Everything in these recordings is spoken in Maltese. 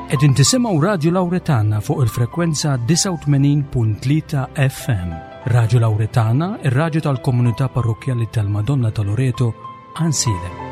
Qegħdin tisimgħu Radju Lawretana fuq il-frekwenza 89.3 FM. Radju Lawretana, ir-radju tal-komunità parrokkjali tal-Madonna ta' Loreto, Ansilem.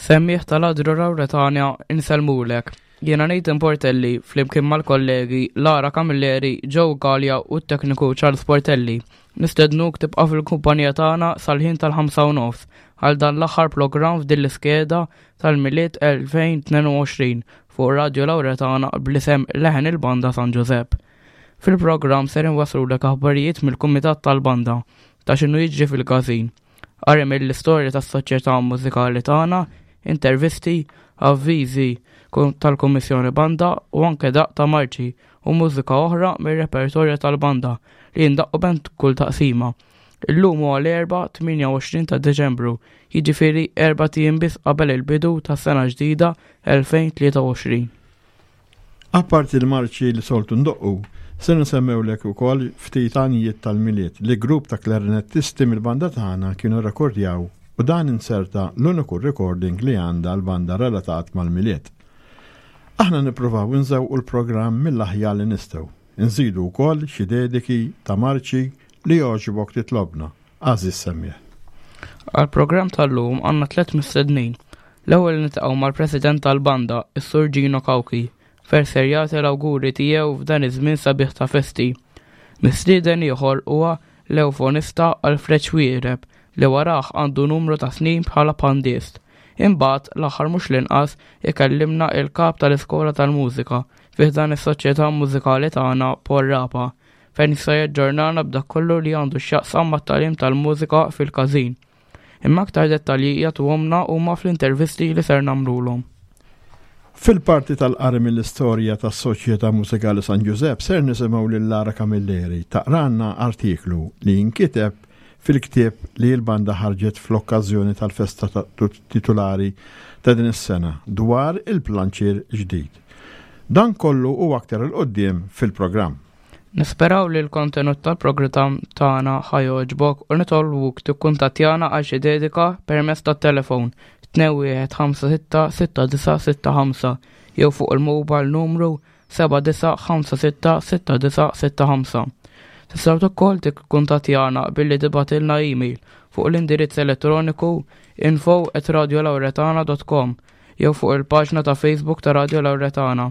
Semmiħ tal-Adru Rawretania insellmulek. Jiena Nathan Portelli flimkien mal-kollegi Lara Camilleri, Joe Gallia u t-tekniku Charles Portelli. Nistednuk tibqa' fil-kumpanija tagħna sal-ħin tal-5 u nofs għal dan l-aħħar programm f'din l-iskeda tal-Milied 2022 fuq Radio Lauretana bl-isem Leħen il-Banda San Ġużepp. Fil-programm ser inwasslulek aħbarijiet mill-Kumitat tal-Banda ta' x'inhu jiġri fil-każin. Qari mill-istorja tas-soċjetà mużikali tagħna, intervisti, avviżi tal-Kummissjoni Banda u anke daqq ta' marċi u mużika oħra mir-repertorju tal-banda li jindaqqu bejn kull taqsima. Illum huwa l-Erbgħa 28 ta' Diċembru, jiġifieri erbat ijiem biss qabel il-bidu tas-sena ġdida 2023. Apparti l-marċi li soltu ndoqqu, se nsemmewlek ukoll ftit għanjiet tal-Milied li grupp ta' klarinettisti mill-banda tagħna kienu rrekordjaw u dan inserta l-uniku recording li għandha l-banda relatat mal-Milied. Aħna nippruvaw inżewqu l-programm mill-aħjar li nistgħu. Inżidu wkoll xi dediki ta' marċi li jogħġbok titlobna, għażiż semmiegħ. Għall-programm tal-lum għandna tlett mistednin. L-ewwel niltaqgħu mal-President tal-Banda, is-Sur Gino Cauchi, fejn ser jagħti l-awguri tiegħu f'dan iż-żmien sabiħ ta' festi. Mistieden ieħor huwa l-ewfonista Alfred Xuereb li warah għandu numru ta' snin bħala pandist. Imbagħad, l-aħħar mhux l-inqas, ikellimna il-Kap tal-Iskola tal-Mużika fi ħdan is-Soċjetà Mużikali tagħna Paul Rapa, fejn se jaġġornana b'dak kollu li għandu x'jaqsam mat-tagħlim tal-mużika fil-każin. Imma aktar dettalji jagħtuhomlna huma fl-intervisti li ser nagħmlulhom. Fil-parti tal-qari mill-istorja tas-Soċjetà Mużikali San Ġużepp ser nisimgħu lil Lara Camilleri taqralna artiklu li nkiteb fil-ktieb li l-banda ħarġet fl-okkażjoni tal-festa titulari ta' din is-sena dwar il-planċier ġdid. Dan kollu u aktar 'il quddiem fil-programm. Nisperaw li l-kontenut tal-programm tagħna ħa jogħġbok u nitolbuk tikkuntattjana għal xi dedika permezz tat-telefon 21566965 jew fuq il-mobile numru 79566965. Tistgħu ukoll tikkuntattjana billi tibgħatilna email fuq l-indirizz elettroniku info@radiolauretana.com jew fuq il-paġna ta' Facebook ta' Radio Lauretana.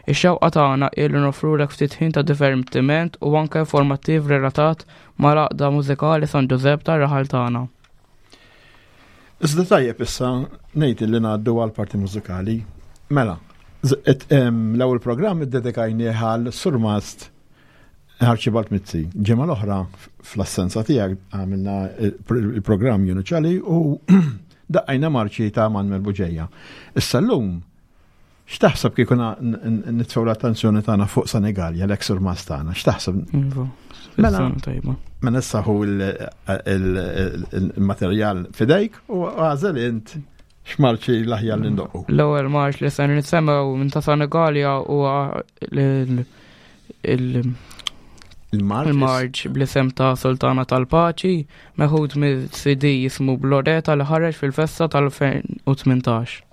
Ix-xewqa tagħna hi li nofrulek ftit ħin ta' divertiment u anke informattiv relatat mal-Għaqda Mużikali San Ġużepp tar-raħal tagħna. Iżda tajjeb issa ngħid li ngħaddu għal parti mużikali. Mela, l-ewwel programm iddedikajnieh għal Surmast Archibald Mizzi. Ġimgħa l-oħra fl-assenza tiegħek għamilna il-programm Junu Ċali u daqqajna marċi ta' Manuel Buġeja. Issa llum X'taħseb kieku nitfgħu l-attenzjoni tagħna fuq Senegalja, l-eks surmas tagħna, x'taħseb? Iva, mela, tajba. Mela issa hu il-materjal fidejk u għażel int x'marċi l-aħjar li ndoqqu. L-ewwel marċ li se nisemgħu minn ta' Senegalja huwa il-marċ bl-isem ta' Sultana tal-Paċi meħud mill-CD jismu Bloreta li ħareġ fil-festa tal-2018.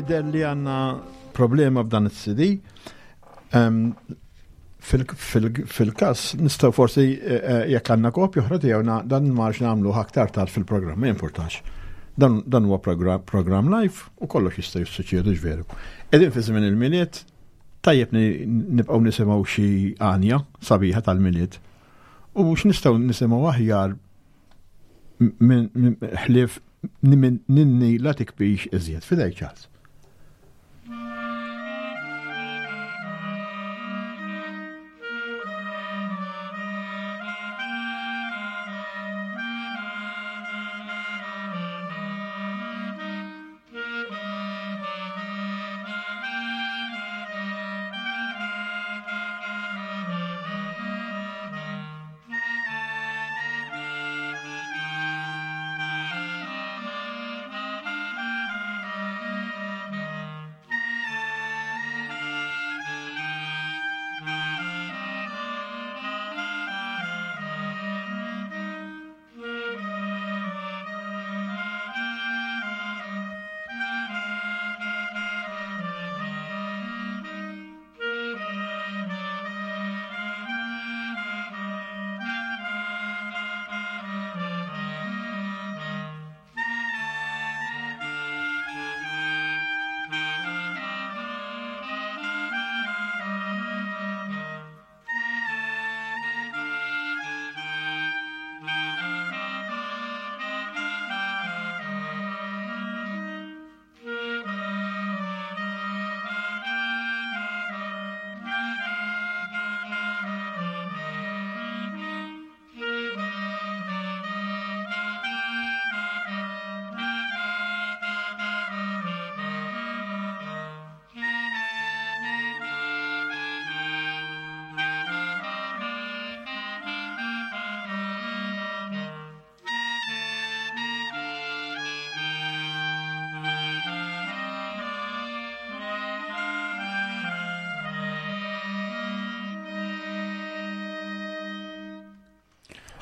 Jidher li għandna problema b'dan is-CD. Fil-każ nistgħu forsi eh, eh, jekk għandna kopja oħra tiegħu dan marx nagħmlu aktar tard fil-programm, ma jimpurtax. Dan huwa programm live u kollox jista' jissuċċedu ġveru. Qegħdin fi żmien il-miliet, tajjeb nibqgħu nisimgħu xi għanja sabiħa tal-miliet. U mhux nistgħu nisimgħu aħjar ħlief ninni la tikbix iżjed. Fidej Charles.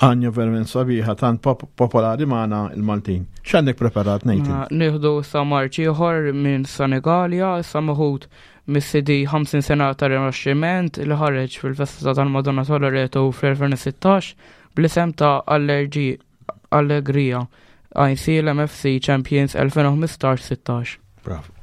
Għanja verament sabiħa tant popolari magħna il-Maltin. X'għandek preparat Nathan? Nieħdu sa marċ ieħor minn Senegalia, sa meħud mis-CD 50 sena ta' rinaxximent li ħareġ fil-festa tal-Madonna ta' Loreto fl-2016 bl-isem ta' Allergi Allegria ICL MFC Champions 2015-16. Bravo.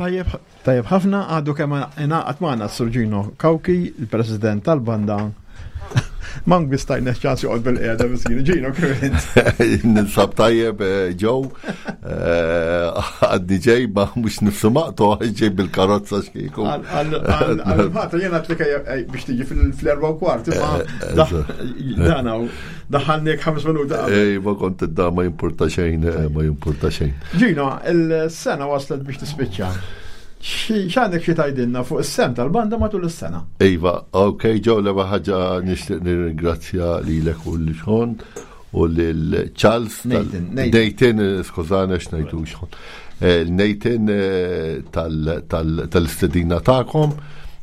Tajjeb, tajjeb ħafna għadu kemm ingħaqad magħna s-Sur Gino Cauchi, il-President tal-banda. Mank biss tajna ċans joqgħod bil-qiegħda miskin. Gino kif int? Ninsab tajjeb eh, ġew eh, għadni ġej ma mhux nifsu maqtu ġej bil-karozza xkieku. Għal-ħatra jena għatlek eh, biex tiġi fl-erba u kwart, imma dan hawn. Daħalnik ħames minuti. Ej, ma kont id ma jimpurta xejn, eh, ma jimpurta xejn. Ġino, il-sena waslet biex tispiċċa. X'għandek xi tgħidilna fuq is-sem tal-banda matul is-sena? Iva, ok, ġew l ħaġa nixtieq nirringrazzja lilek u lil Xon u lil Charles. Nathan, Nathan, eh, skużana x'ngħidu Xon. Eh, Nathan eh, tal-istedina tagħkom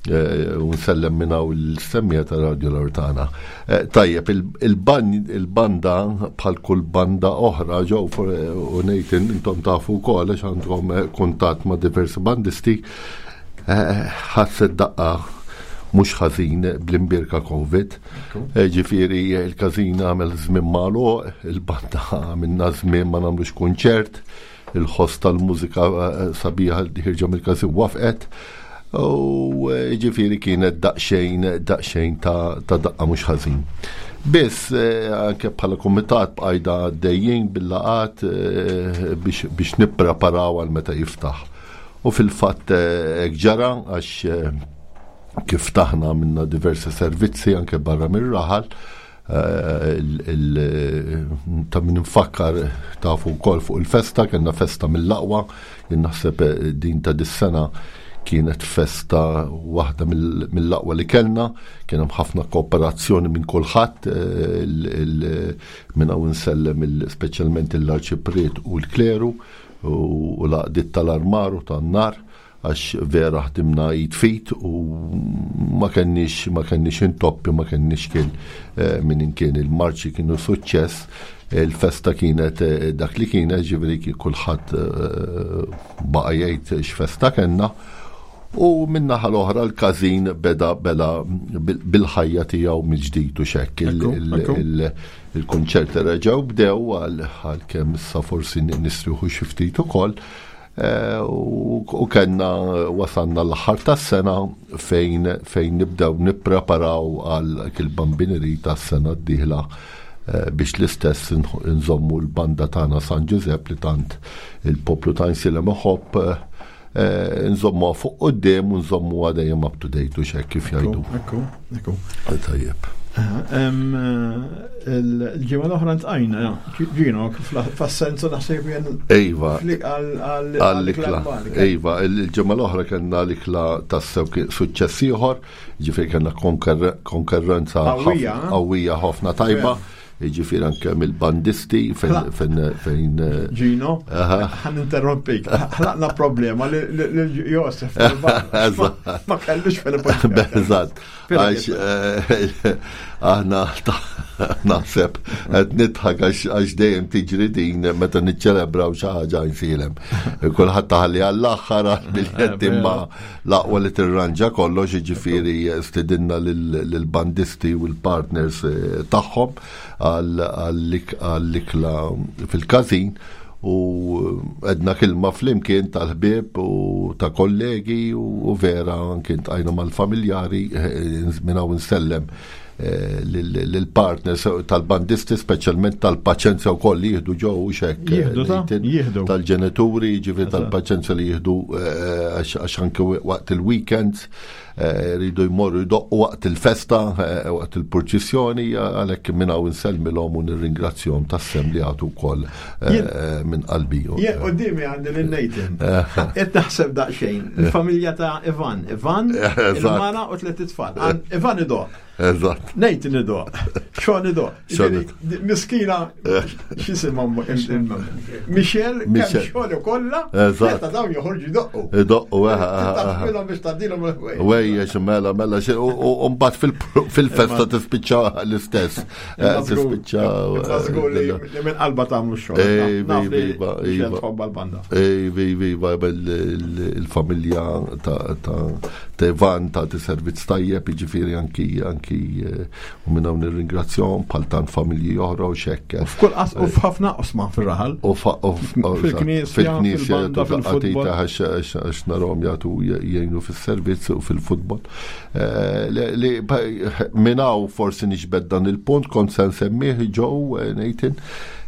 eh, u nsellem minn hawn l-semmija ta' Radio Lortana. Tajjeb, il-banda bħal kull banda oħra ġew u Nathan intom tafu wkoll għax għandkom kuntatt ma' diversi bandisti ħasset daqqa mhux ħażin bl-imbierka Covid. Ġifieri il-każin għamel żmien magħluq, il-banda għamilna żmien ma nagħmlux kunċert. Il-ħoss tal-mużika eh, sabiħa li ħirġa mill-każin wafqet. U eh, ġifieri kienet daqsxejn daqsxejn ta' daqqa mhux ħażin. Biss eh, anke bħala kumitat bqajda għaddejjin bil-laqat biex nippreparaw għal meta jiftaħ. U fil-fatt hekk ġara għax kif taħna minna diversi servizzi anke barra mir-raħal Ta' min nfakkar tafu wkoll fuq il-festa, kellna festa mill-aqwa, jien naħseb eh, din ta' dis-sena kienet festa waħda mill-aqwa li kellna, kien hemm ħafna kooperazzjoni minn kulħadd eh, minn hawn insellem speċjalment l-arċipriet u l-kleru u l-għaqdiet tal-armar u tan-nar għax vera ħdimna id fit u ma kenniex ma kenniex intoppi, ma kenniex kien eh, minn imkien il-marċi kienu suċċess, il-festa kienet eh, dak li kienet, ġifieri kulħadd eh, baqa' jgħid x'festa kellna. U minnaħa l-oħra l-każin beda bela bil-ħajja tiegħu mill-ġdid u xekk il-kunċerti reġgħu bdew għal kemm issa forsi nistrieħu xi ftit ukoll. Eh, u kellna wasanna l-aħħar tas-sena fejn fejn nibdew nippreparaw għal il-bambineri tas-sena d-dieħla eh, biex l-istess nżommu l-banda tagħna San Ġużepp li tant il-poplu ta' Insilem iħobb eh, nżommu fuq quddiem u nżommu dejjem up to date u xek kif jgħidu. Ekku, ekku. Tajjeb. Il-ġimgħa l-oħra ntqajna, ġino, f'assenza naħseb jien. Iva. Għall-ikla. Iva, il-ġimgħa l-oħra kellna l-ikla tassew suċċess ieħor, ġifieri kellna konkurrenza qawwija ħafna tajba. Ġifieri anke mill-bandisti fejn fejn. Ġino, ħan interrompik. Ħlaqna problema li Josef. Ma kellux fil-problema. Eżatt. Għax eh, aħna naħseb qed nidħak għax dejjem tiġri din meta niċċelebraw xi ħaġa nsilem. Kulħadd taħalli għall-aħħar għall-biljett eh, imma l-aqwa li tirranġa kollox jiġifieri stidinna lill-bandisti u l-partners eh, tagħhom għall-ikla fil-każin u għedna kilma flimkien tal-ħbieb u ta' kollegi u vera anki ntqajna mal-familjari eh, minn hawn insellem eh, lill-partners tal-bandisti speċjalment tal-paċenzja wkoll li jieħdu ġew u xekk eh, tal-ġenituri, ġifieri tal-paċenzja li jieħdu għax anke waqt il-weekends Eh, rridu jmorru jdoqqu waqt il-festa, eh, waqt il-purċissjoni, għalhekk minn hawn insellmilhom u nirringrazzjahom tas-sem li għatu wkoll eh, minn qalbi. Jien qudiemi għandi lil Nathan. Qed naħseb daqsxejn, il-familja ta' Ivan, Ivan, il-mara u tliet itfal. Ivan idoq. Eżatt. Nathan idoq. Sean idoq. Miskina, x'isimha Michelle, kemm xogħol kollha, meta dawn joħorġu jdoqqu. Idoqqu, eh, eh, eh, Tafilhom biex tgħaddilhom il-ħwejjeġ. Wejjex, mela, mela, u mbagħad fil-festa tispiċċa l-istess. Tispiċċa. Żgur li minn qalba tagħmlu x-xogħol. Iva, iva. Tħobba l-banda. Iva, iva, il-familja ta' Ivan ta' servizz tajjeb, jiġifieri anki anki anki eh, u minn hawn nirringrazzjahom bħal tant familji oħra u xekk. U f'kull qas u f'ħafna qosma fir-raħal. U fil-knisja, fil-knisja fil-futbol. Għax narhom jagħtu jgħinu fis-servizz u fil-futbol. Eh, li minn hawn forsi niġbed dan il-punt kont se nsemmih ġew eh, Nathan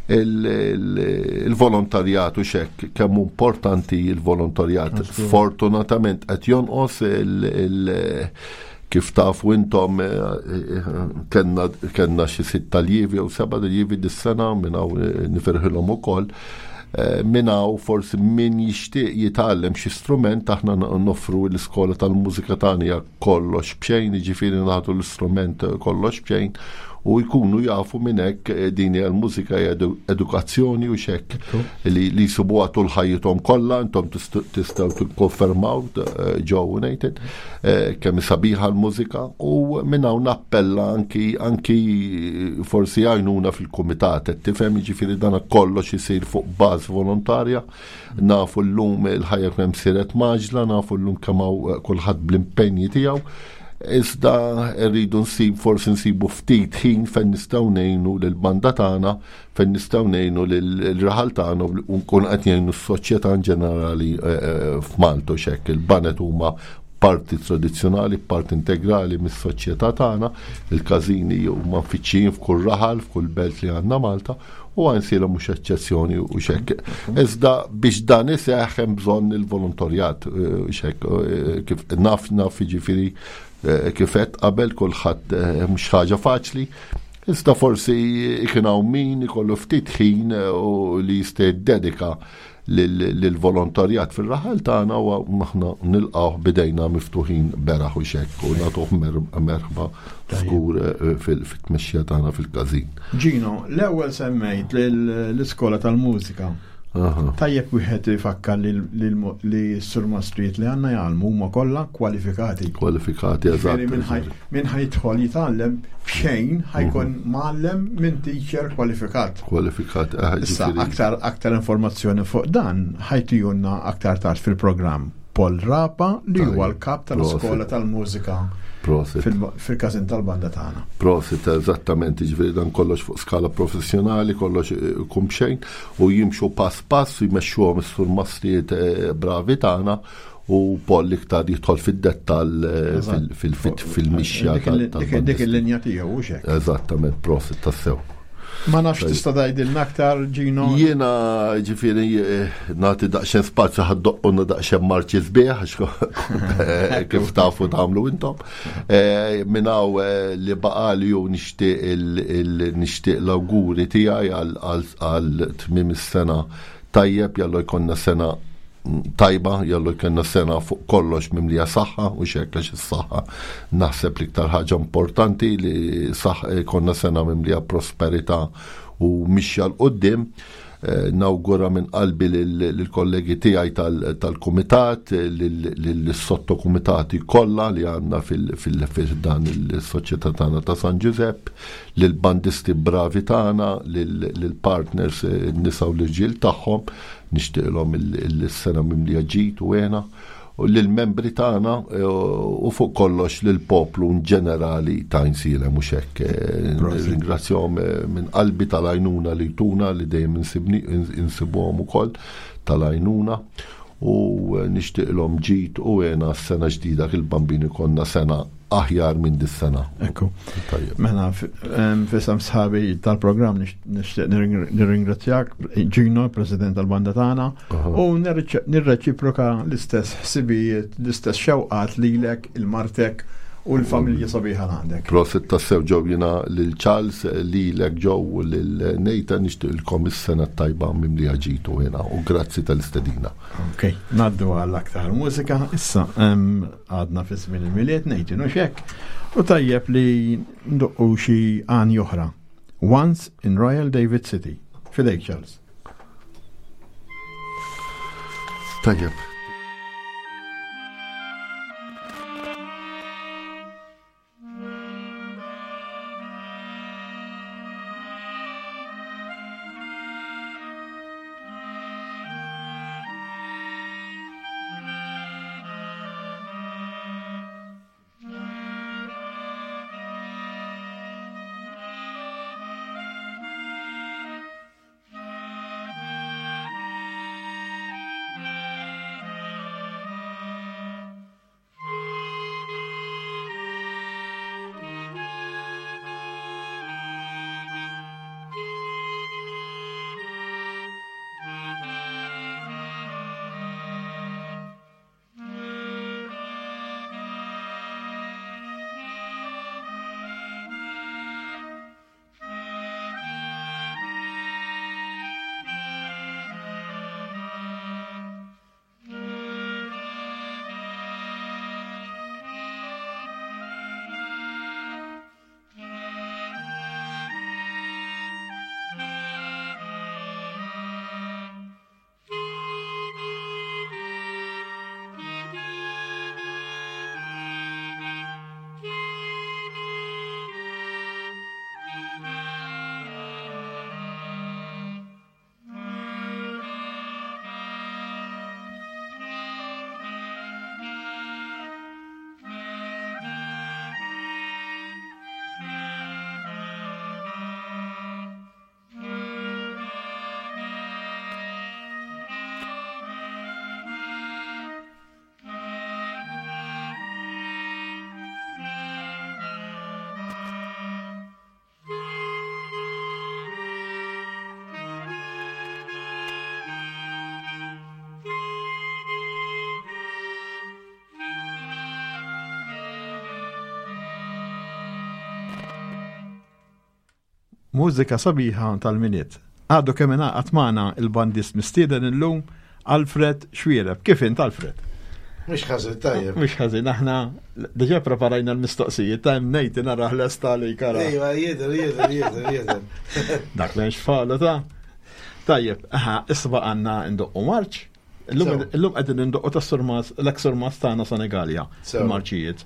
il-volontarjat u xekk kemm importanti il-volontarjat. Fortunatament qed jonqos il- kif tafu intom eh, eh, kellna kellna xi sitt aljevi jew seba' aljevi dis-sena minn hawn eh, nifirħilhom ukoll. Minn hawn forsi min jixtieq jitgħallem xi strument aħna noffru l-iskola tal-mużika tagħna hija kollox b'xejn, jiġifieri nagħtu l-istrument kollox b'xejn u jkunu jafu minn hekk eh, din hija l-mużika hija edukazzjoni u xekk li li jsibuha tul ħajjithom kollha intom tistgħu tikkonfermaw eh, Joe u Nathan eh, kemm sabiħa l-mużika u minn hawn nappella anki anki forsi għajnuna fil-kumitat qed tifhem jiġifieri dan kollox isir fuq baż volontarja Nafu llum il-ħajja kemm siret maġla, nafu llum kemm hawn eh, kulħadd bl-impenji tiegħu. Iżda rridu nsib forsi nsibu ftit ħin fejn nistgħu ngħinu lill-banda tagħna, fejn nistgħu ngħinu lill-raħal tagħna u nkun qed ngħinu s-soċjetà in ġenerali eh, eh, f'Malta u xekk. Il-banet huma parti tradizzjonali, parti integrali mis-soċjetà tagħna, il-każini huma mfittxijin f'kull raħal, f'kull belt li għandna Malta, u għansiela mhux eċċezzjoni u xekk. Iżda biex dan iseħħ hemm bżonn il-volontarjat eh, xekk eh, kif naf naf jiġifieri eh, kif qed qabel kulħadd mhux ħaġa faċli. Iżda forsi kien hawn min ikollu ftit ħin u li jista' jiddedika lill-volontarjat fir-raħal tagħna u aħna nilqgħuh bidejna miftuħin beraħ u xekk u nagħtuh merħba żgur eh, fit-tmexxija tagħna fil-każin. Gino, l-ewwel semmejt l-iskola tal-mużika. Tajjeb wieħed ifakkar li s-surmastrijiet li għandna jgħallmu huma kollha kwalifikati. Kwalifikati, eżatt. Min ħajtħol jitgħallem b'xejn ħajkun mhm. mgħallem minn teacher kwalifikat. Kwalifikat, eh, Issa aktar aktar informazzjoni fuq dan ħajtijunna aktar tard fil-programm Paul Rapa li huwa l-kap tal-iskola tal-mużika fil-każin tal-banda tagħna. Prosit, eżattament, ġifieri dan kollox fuq skala professjonali, kollox eh, kum xejn u jimxu pass pass u jmexxuhom is-surmastrijiet eh, bravi tagħna u Paul iktar jidħol fid-dettall eh, fil-mixja. Dik il-linja tiegħu u xek. Eżattament, prosit tassew. Ma nafx tista' tgħidilna aktar Gino. Jiena ġifieri eh, nagħti daqsxejn spazju ħaddoqquna daqsxejn marċi sbieħ eh, kif tafu tagħmlu intom. Minn hawn li baqali u nixtieq nixtieq l-awguri tiegħi għal tmiem is-sena tajjeb jallu jkollna sena tajba, jallu jkollna sena fuq kollox mimlija saħħa u xekk għax is-saħħa naħseb l-iktar ħaġa importanti li saħ jkollna sena mimlija prosperità u mixja 'l quddiem. Eh, nawgura minn qalbi lill-kollegi tiegħi tal-kumitat, lill-sottokumitati kollha li għandna fil-dan il-soċjetà tagħna ta' San Ġużepp, lill-bandisti bravi tagħna, lill-partners eh, nisa u l-irġiel tagħhom, Nixtieqilhom il-sena mimlija ġid u hena u lill-membri tagħna eh, u fuq kollox lill-poplu ġenerali ta' Għajnsielem mhux hekk. Eh, ringrazzjahom eh, minn qalbi tal-għajnuna li tuna li dejjem insibuhom ukoll tal-għajnuna u nixtieqilhom ġid u hena s-sena ġdida kil-bambini konna sena aħjar minn dis-sena. Ekku. Mela, fisam sħabi tal-programm nixtieq nirringrazzjak Gino, President tal-banda tagħna, u nirreċiproka l-istess ħsibijiet, l-istess xewqat lilek, il-martek u l-familja sabiħa għandek. Prosit tassew ġew jina lil Charles, lilek ġew u lil Nathan nixtieqilkom is-sena tajba mimlija ġitu jena u grazzi tal-istedina. Ok, naddu għal aktar mużika issa. Għadna fi żmien il-Milied ngħid inhu x'hekk, u tajjeb li ndoqqu xi għan oħra. Once in Royal David City. Fidejk Charles. Tajjeb. Mużika sabiħa tal-Milied. Għadu kemm ingħaqad magħna il-bandist mistieden illum Alfred Xuereb. Kif int Alfred? Mhux ħażin tajjeb. Mhux ħażin, aħna diġà preparajna l-mistoqsijiet ta' hemm ngħid naraħ lesta li kara. Ejwa, jidher, jidher, jidher, jidher. Dak li xfalu ta' Tajjeb, aha, issa għandna ndoqqu marċ. Illum qegħdin indoqqu ta' surmas, l-eks surmas tagħna Senegalja, marċijiet.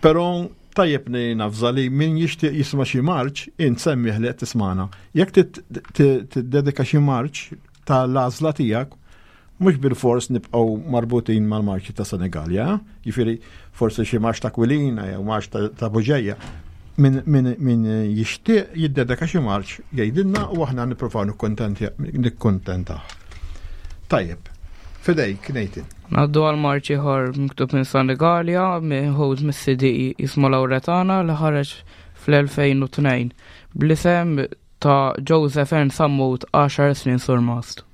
Però tajjeb li nafża li min jixtieq jisma' xi marċ, int semmih li qed tismana. Jekk tiddedika xi marċ tal-għażla tiegħek, mhux bil-fors nibqgħu marbutin mal-marċi ta' Senegalja, jiġifieri forsi xi marċ ta' Kwilina jew marċ ta' Buġeja. Min, min, min jixtieq jiddedika xi marċ jgħidilna u aħna nippruvaw nikkuntentaw. Tajjeb, fidejk Nathan. Naddu għal marċ ieħor miktub minn Senegalja, meħud mis-CD jismu Lauretana li ħareġ fl-2002 bl-isem ta' Joseph Ernst Sammut 10 snin surmast.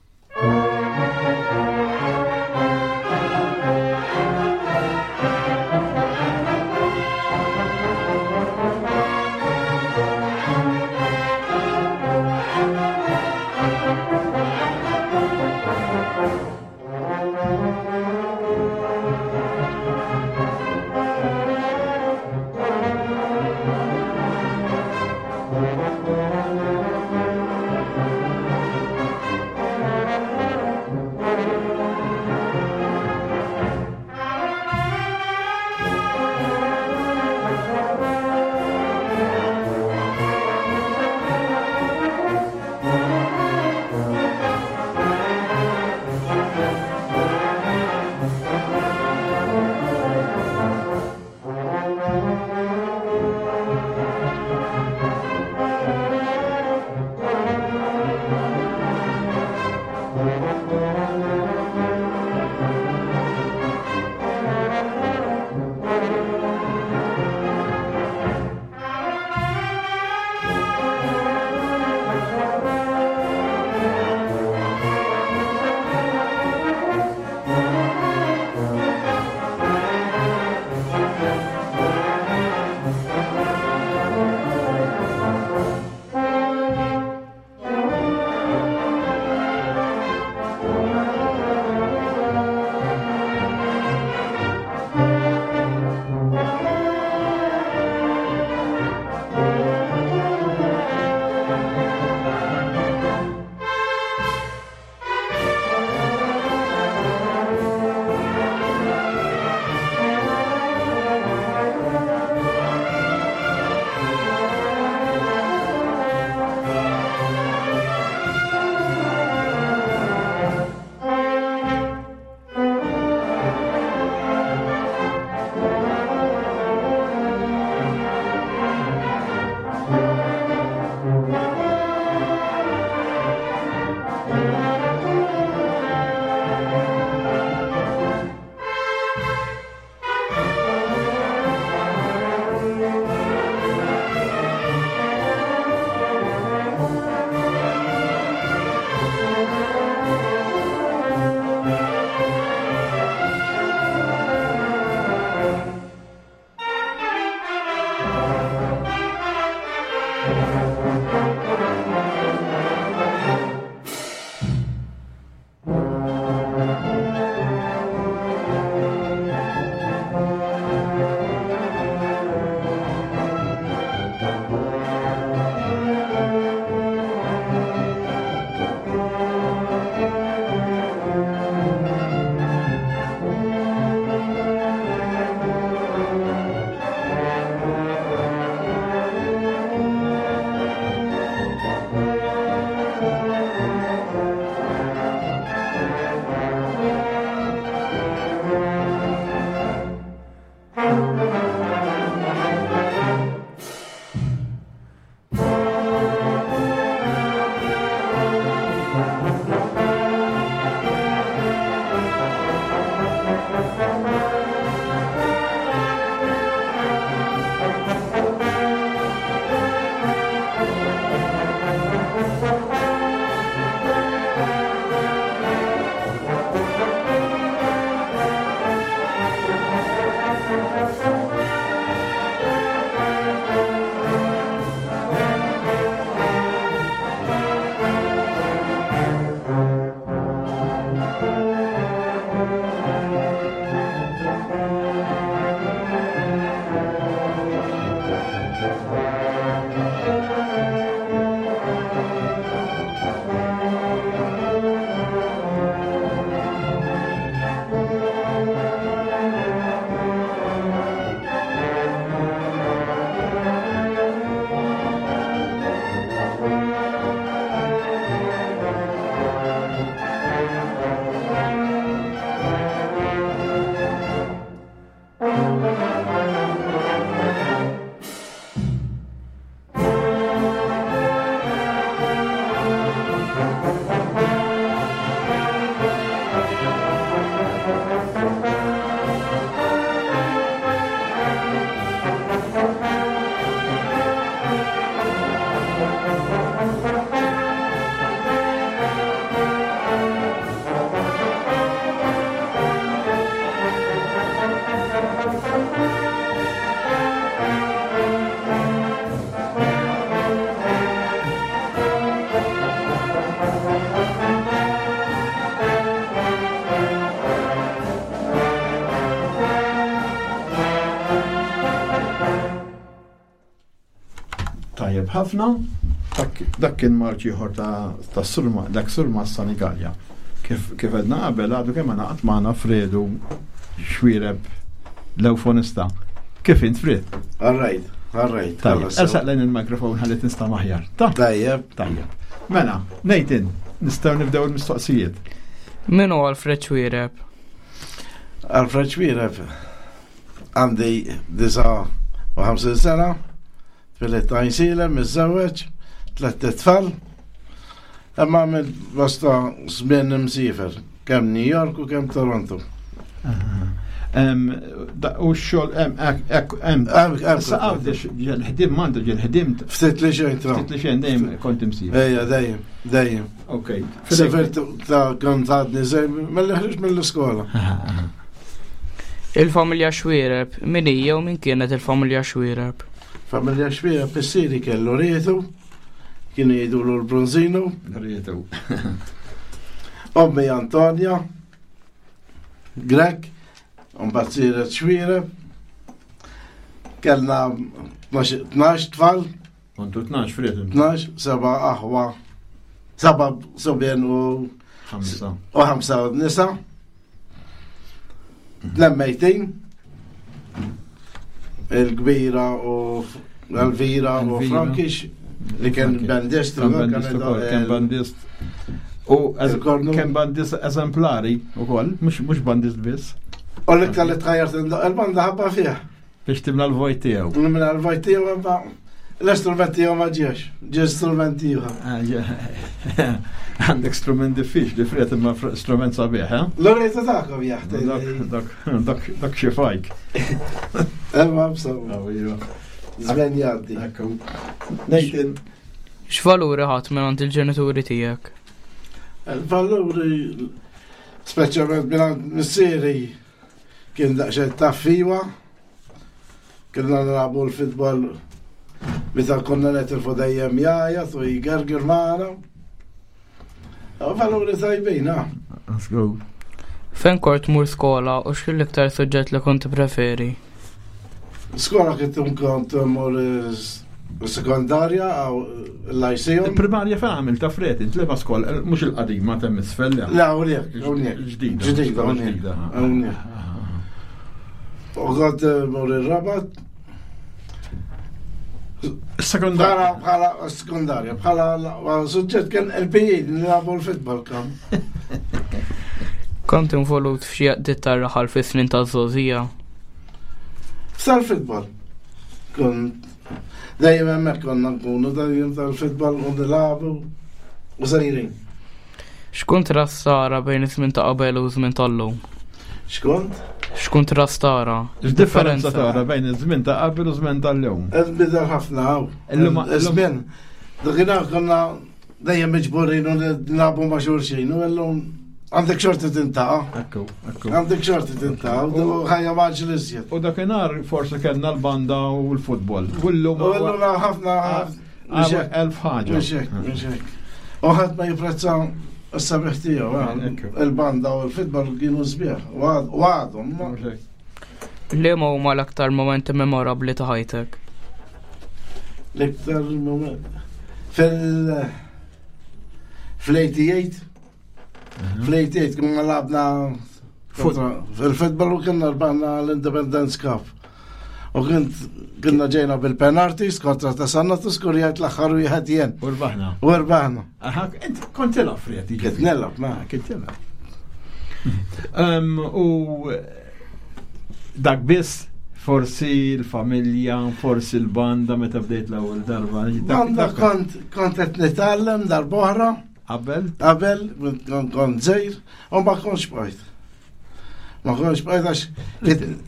ħafna, dak kien marċ ieħor ta' surma, dak surma Sanigalja. Kif kif għedna qabel għadu kemm għanaqat magħna Fredu Xwireb l-eufonista. Kif int Fred? All right, all right. Tajjeb, ersaq lejn il-mikrofon ħalli tinsta' maħjar. Tajjeb. Tajjeb. Mela, Nathan, nistgħu nibdew il-mistoqsijiet. Min hu Alfred Xwireb? Alfred Xwireb għandi 59 sena, twielidt Għajnsielem, miżżewweġ, tlett itfal. Imma għamilt bosta żmien imsiefer, kemm New York u kemm Toronto. U x-xogħol hemm Issa għawdex ġel-ħdim m'għandu ġel-ħdim. Ftit li xejn tra. Ftit li xejn dejjem kont imsiefer. Ejja, dejjem, dejjem. Ok. Sifirt ta' kont għadni żej mill ħriġ mill-iskola. Il-familja Xwiereb, min hija u min kienet il-familja Xwiereb? Familja Xwiereb missieri kellu rietu, kienu jgħidulu l-Bronzino. Rietu. Ommi Antonia, Grek, mbagħad siret Xwiereb. Kellna 12 tfal. Kontu 12 friet. 12, seba' aħwa, seba' subien u ħamsa. U ħamsa nisa. Lemmejtin. Il-kbira u Elvira u Frankix li kien bandist. Kien bandist. U kien bandist eżemplari u koll, mux bandist biss. U l-iktar li tħajjart il-banda ħabba fih. Biex timla l-vojt tiegħu. Nimla l-vojt tiegħu imma l-istrument tiegħu ma ġiex, ġie strument ieħor. Ah, Għandek strument diffiċli, Fred, imma strument sabiħ, eh? L-orejta tagħkom jaħti. Dak dak xi fajk. Imma b'saw. Iva. Żmien jgħaddi. Nathan. X'valuri ħadd minn il-ġenituri tiegħek? Il-valuri, speċjalment minn missieri, Kien daqsxejn taffiwa. Kienna nilagħbu l-futbol meta konna netilfu dejjem jgħajat u jgerger magħna. Valuri tajbin, ah. Let's go. Fejn kort mur skola u x'kien l-iktar suġġett li kont preferi? Skola kont kont mur sekondarja għaw l-lyceum. Il-primarja fejn għamil ta' Fred, int leba skola, eh, mhux il-qadima ta' misfel. Le, hawnhekk, hawnhekk. Ġdida. Ġdida, hawnhekk. Hawnhekk. U kont eh, mur ir-Rabat. Sekondarja. Bħala sekondarja, bħala suġġett kien il-PE nilagħbu l-futbol kam. Kont involut f'xi għaqdiet tar-raħal fis-snin taż-żgħożija. Sal-futbol. Kont dejjem hemmhekk konna nkunu dejjem tal-futbol u nilagħbu u sejrin. X'kuntrast tara bejn iż-żmien ta' qabel u żmien tal-lum? X'kont? X'kuntrast tara? X'differenza tara bejn iż-żmien ta' qabel u żmien tal-lum? Nbidel ħafna hawn. Illum Iż-żmien. Dakinhar konna dejjem miġburin u nilagħbu ma' xulxin u llum għandek xorti tintaqa'. Ekku, ekku. Għandek xorti tintaqa' u ħajja maġli iżjed. U dakinhar forsi kellna l-banda u l-futbol. U llum U llum ħafna elf ħaġa. Mhux hekk, mhux hekk. U ħadd ma jipprezza s-sabiħ tiegħu, eh. il-banda u l-futbol kienu sbieħ u għadhom. Liema huma l-aktar momenti memorabbli ta' ħajtek? L-iktar moment fil fl-88 mhm. fl-88 konna labna fil-futbol u kienna rbaħna l-Independence Cup. U kint kienna ġejna bil-penalties kontra ta' sanna skurjajt l-aħħar wieħed jien. U rbaħna. U rbaħna. Aha, int kont tilgħab Fred. Kont nilgħab, ma. Kont tilgħab. U dak biss forsi l-familja, forsi l-banda meta bdejt l-ewwel darba. Banda kont kont qed nitgħallem darb'oħra. Qabel? Qabel, kont żejr, u ma kontx bqajt. Ma kontx bqajt għax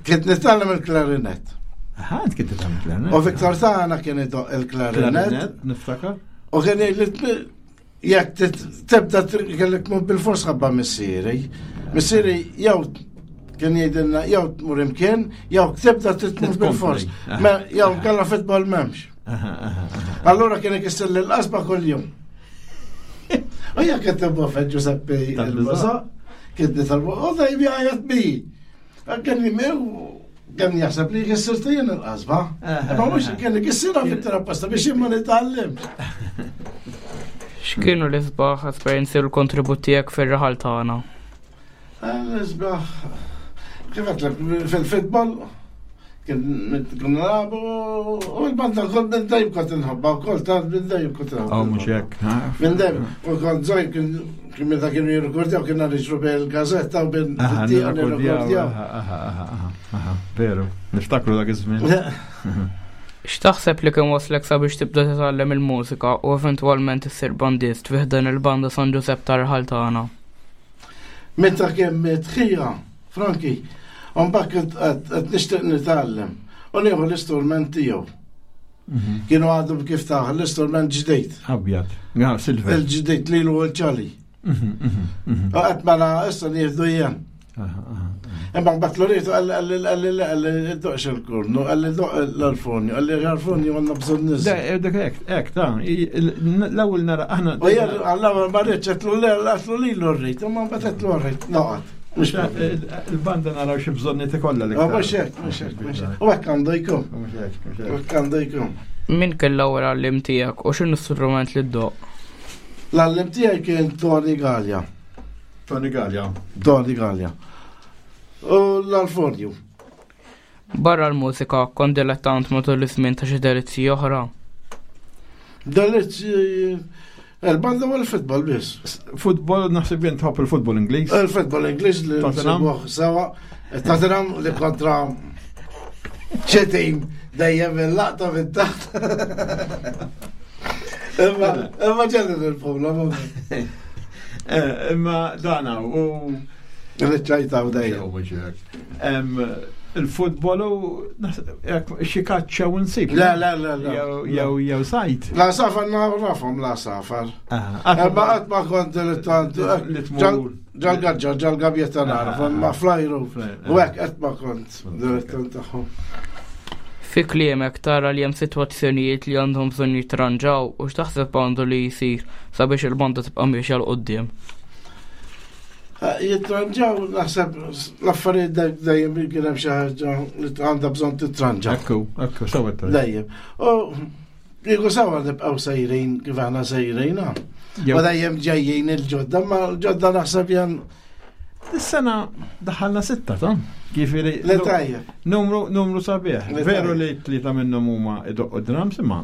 kont nitgħallem il-klarinet. Aha, int kont titgħallem il-klarinet. U Viktor tagħna kien idoq il-klarinet. Niftakar. U kien jgħid jekk tibda kellek tmur bil-fors ħabba missieri. Missieri jew kien jgħidilna jew tmur imkien, jew tibda titmur bil-fors. Jew kellha fitbol m'hemmx. Allura kien ikisser l-qasba kuljum. U jekk qed tibba Giuseppe il-Baza, kien nitalbu, u dejjem jgħajjat bi. Kien jimew. Kemm jaħseb li jkissir jien il-qasba. Ma mhux kelli kissirha fit apposta biex jien ma nitgħallimx. X'kienu l-isbaħ esperjenzi u l-kontribut tiegħek fir-raħal tagħna? L-isbaħ kif għedtlek fil-futbol kien konna nilagħbu u l-banda kont minn dejjem kont inħobbha wkoll ta' minn dejjem kont inħobbha. Oh, mhux hekk. Minn dejjem u kont żgħir kien kien meta kienu jirrekordjaw kien niġru bejn il-gażetta u bejn it-tieqa nirrekordjaw. Veru, niftakru dak iż-żmien. X'taħseb li kien waslek sabiex tibda titgħallem il-mużika u eventwalment issir bandist fi ħdan il-banda San Ġużepp tar-raħal tagħna? Meta kien miet ħija, Franki, u mbagħad kont qed nixtieq nitgħallem u nieħu l-istrument tiegħu. Mhm. Kienu għadhom kif taħ l-istrument ġdejt. Abjad, ja, silver. Il-ġdejt lilu u l-ċali. Mhm, mhm, Għat mela issa nieħdu jien. Imma mbagħad l-rietu qalli qalli qalli doqx il-kurnu, qalli doq l-alfonju, qalli l-alfonju għandna bżonn niż. Dak hekk, hekk ta' l-ewwel nara aħna. U jien għall-ewwel ma rridx qedlu le qedlu lilu rrid, imma mbagħad qedlu rrid noqgħod. Il-banda naraw xi bżonniet ikollha l Mhux hekk, mhux hekk, mhux hekk. U hekk għandu jkun. U hekk għandu jkun. Min kien l-ewwel għallim tiegħek u x'inhu strument li ddoq? L-għallim tiegħi kien Tony Gallia. Tony Gallia. Tony Gallia. U l-Alfonju. Barra l-mużika, kont dilettant matul iż-żmien ta' xi delizzji oħra. Delizzji il-banda u l-futbol biss. Futbol, naħseb jien tħobb il-futbol Ingliż. Il-futbol Ingliż li Tottenham. nsegwuh sewa. Tottenham li kontra xi tim dejjem il-laqta fit-taħt. Imma imma ġelli il-problema. Eh, Imma dana u Riċċajta u dejjem. Il-futbol u xi kaċċa u nsib. Le, le, le, le. Jew jew sajt. La safar nafhom la safar. Imma qatt ma kont dilettant. Li tmur. Ġal-gaġġa, ġal-gabjetta naraf, ma flajru. U hekk qatt ma kont dilettant tagħhom. Fi kliemek tara li hemm sitwazzjonijiet li għandhom bżonn jitranġaw u x'taħseb għandu li jsir sabiex il-banda tibqa' miexja 'l quddiem? Jitranġaw naħseb l-affarijiet dejjem kien hemm xi ħaġa li għandha bżonn titranġa. Ekku, ekku, sewa Dejjem. U kieku sewa nibqgħu sejrin kif aħna sejrin. U dejjem ġejjin il-ġodda, ma l-ġodda naħseb jan. Is-sena daħalna sitta ta' Ġifieri. Le tajjeb. Numru, numru sabiħ. Veru li tlieta minnhom huma idoqqu drums imma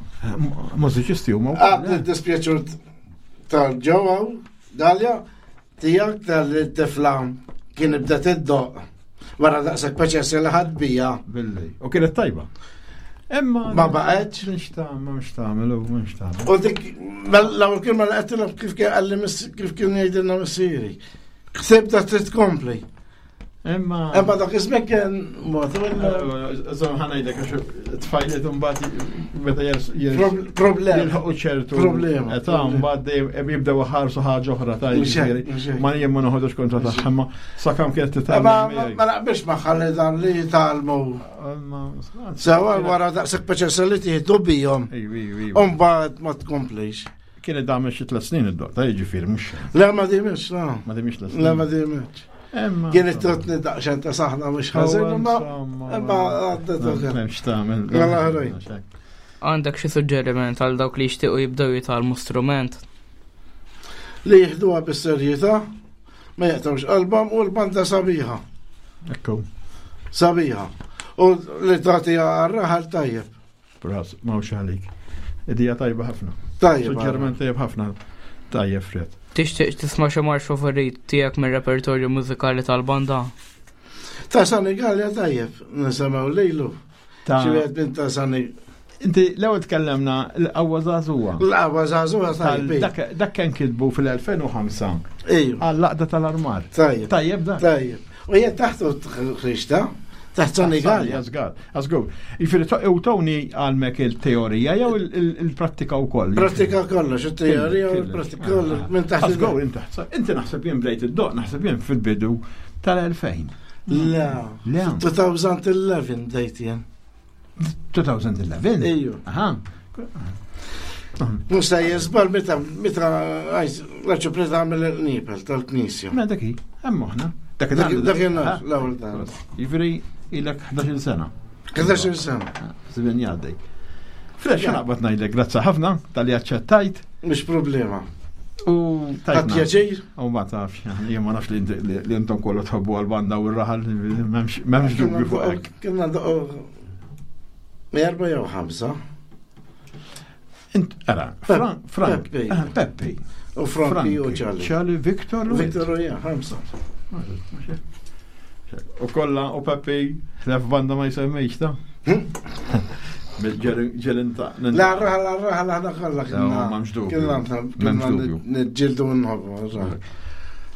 mużiċisti huma. Għad dispjaċur tal-ġewwa Dalja, tiegħek tal-tifla kien bdet iddoq wara daqshekk paċenzja li ħadd bija. Billi. U kienet tajba. Imma ma baqgħetx. Mhux tagħmel, mhux tagħmel, mhux tagħmel. U dik l-ewwel kien ma laqgħet kif kien qalli kif kien jgħidilna missieri. Ħsib ta' trid tkompli. Imma. Imma dak iż-żmien kien mod. Żomm ħanajdek għax tfajliet imbagħad meta Problema. jilħqu ċertu. Problema. Età mbagħad dejjem jibdew iħarsu ħaġa oħra ta' jiġifieri. Ma jien ma noħodux kontra tagħha imma sakemm kienet titgħallem. Ma naqbilx magħha li dan li jitgħallmu. Sewa wara daqshekk paċenza li tieħdu bihom. U mbagħad ma tkomplix. Kienet damet xi tliet snin id-doqta, jiġifieri mhux. Le ma dimx, la. Ma dimx tliet snin. Le ma dimx. Kienet trotni daqsxejn ta' saħna mhux ħażin, imma imma għaddet ukoll. M'hemmx tagħmel. Mela ħrejn. Għandek xi suġġeriment għal dawk li jixtiequ jibdew jitgħallmu strument? Li jieħduha bis-serjetà, ma jaqtawx qalbhom u l-banda sabiħa. Ekku. Sabiħa. U li tagħtiha għar-raħal tajjeb. Ras, mawx għalik. Idija tajba ħafna. Tajjeb. Suġġerment tajjeb ħafna. Tajjeb, Fred. Tixtieq tisma' xi marx favorit tiegħek mir-repertorju mużikali tal-banda? Ta' Sani Gallia tajjeb, nisimgħu lilu. Ta' Xi wieħed minn ta' Sani. Inti l-ewwel tkellemna l-qawwa żagħżugħa. L-qawwa żagħżugħa tajjeb. Dak kien kitbu fil-2005. Ejju. Għall-laqda tal-armar. Tajjeb. Tajjeb dak. Tajjeb. U jien taħtu ħriġta, taħt Sani Gallia. Żgur, żgur. Jiġifieri u Tony għalmek il-teorija jew il-prattika wkoll. Prattika kollox, il-teorija u l-prattika kollox minn taħt. Żgur, inti taħt. Inti naħseb jien bdejt id-doq, naħseb jien fil-bidu tal-2000. Le, Le. 2011 bdejt jien. 2011? Ejju. Aha. Mux ta' jizbal meta meta l-arċipriet għamel il-nipel tal-knisja. Ma dak hi, hemm aħna. Dak l-ewwel darba. Jiġifieri Ilek 11 sena. 11 sena. Żmien jgħaddej. Fresh naqbad ngħidlek grazzi ħafna tal-li aċċettajt. Mhux problema. U tajt. Pjaċir. U ma tafx, jien ma nafx li intom kollu tħobbu għal-banda u r-raħal, m'hemmx dubju fuq hekk. Kienna doqgħu erba' jew ħamsa. Int, ara, Frank, Peppi. Ah, Peppi. U Franki u Ċali. Ċali, Victor. Victor u jien, ħamsa. U kolla u Peppi, ħlef banda ma jsemmix ta' Hm? Ġelin ta' La raħal, la raħal, aħna kollha kienna. Kienna nġildu nħobbu.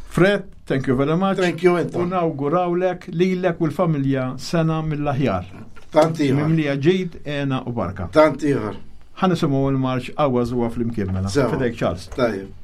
Fred, thank you very much. Thank you, U nawgurawlek lilek u l-familja sena mill-aħjar. Tant ieħor. Mimlija ġid, ena u barka. Tant ieħor. Ħa nisimgħu l-marċ Qawwa Żuwa flimkien mela. Fidejk Charles. Tajjeb.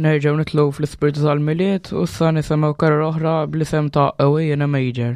Nerġgħu nitlu fl-ispirtu tal-Milied u issa nisimgħu karol oħra bl-isem ta' Away in a Major.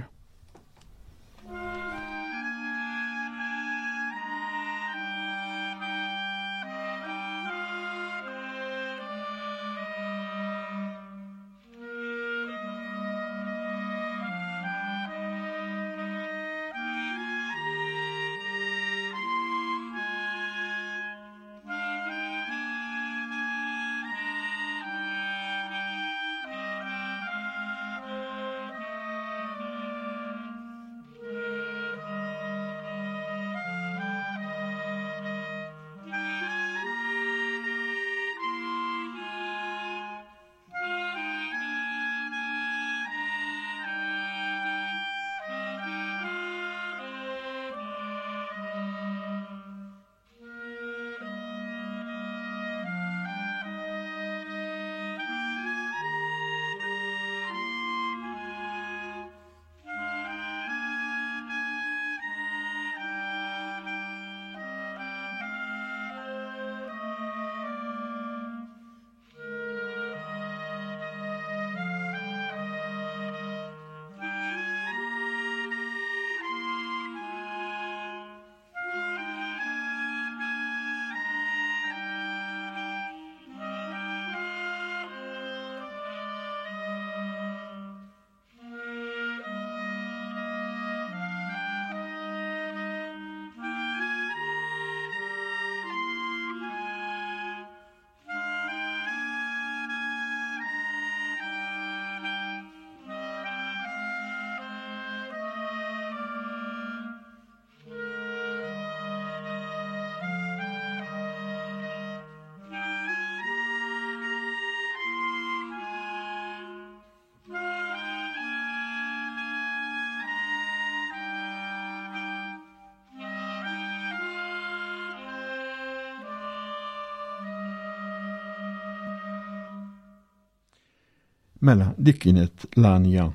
Mela, dik kienet l-għanja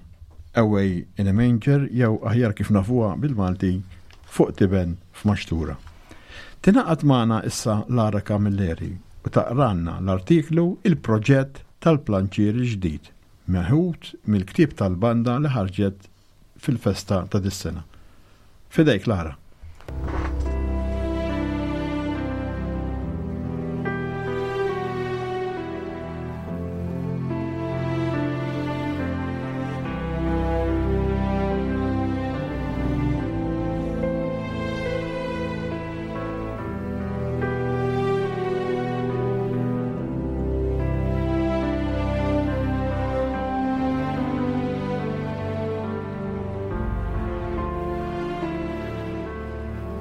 Away in a Manger jew aħjar kif nafuha bil-Malti fuq tiben f'maxtura. Tingħaqad magħna issa Lara Camilleri u taqranna l-artiklu Il-proġett tal-planċier il-ġdid meħud mill-ktieb tal-banda li ħarġet fil-festa ta' dis-sena. Fidejk Lara.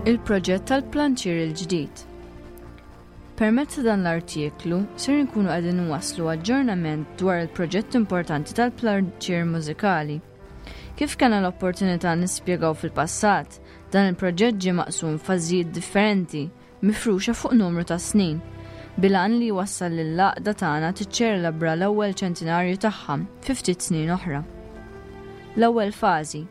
Il-proġett tal-planċier il-ġdid. Permezz ta' dan l-artiklu ser inkunu qegħdin nwasslu aġġornament dwar il-proġett importanti tal-planċier mużikali. Kif kellna l-opportunità nispjegaw fil-passat, dan il-proġett ġie maqsum f'fażijiet differenti mifruxa fuq numru ta' snin, bil-għan li jwassal lill-għaqda tagħna tiċċelebra l-ewwel ċentinarju tagħha fi ftit snin oħra. L-ewwel fażi.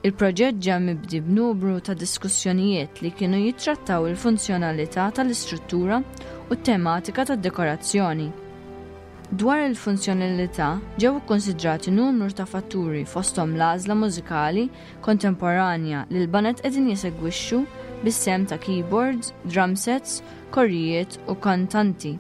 Il-proġett ġa mibdi b'numru ta' diskussjonijiet li kienu jittrattaw il-funzjonalità tal-istruttura u t-tematika tad-dekorazzjoni. Dwar il-funzjonalità ġew ikkunsidrati numru ta' fatturi fosthom l-għażla mużikali kontemporanja li l-baned qegħdin jesegwixxu bis-sehem ta' keyboards, drum sets, korijiet u kantanti.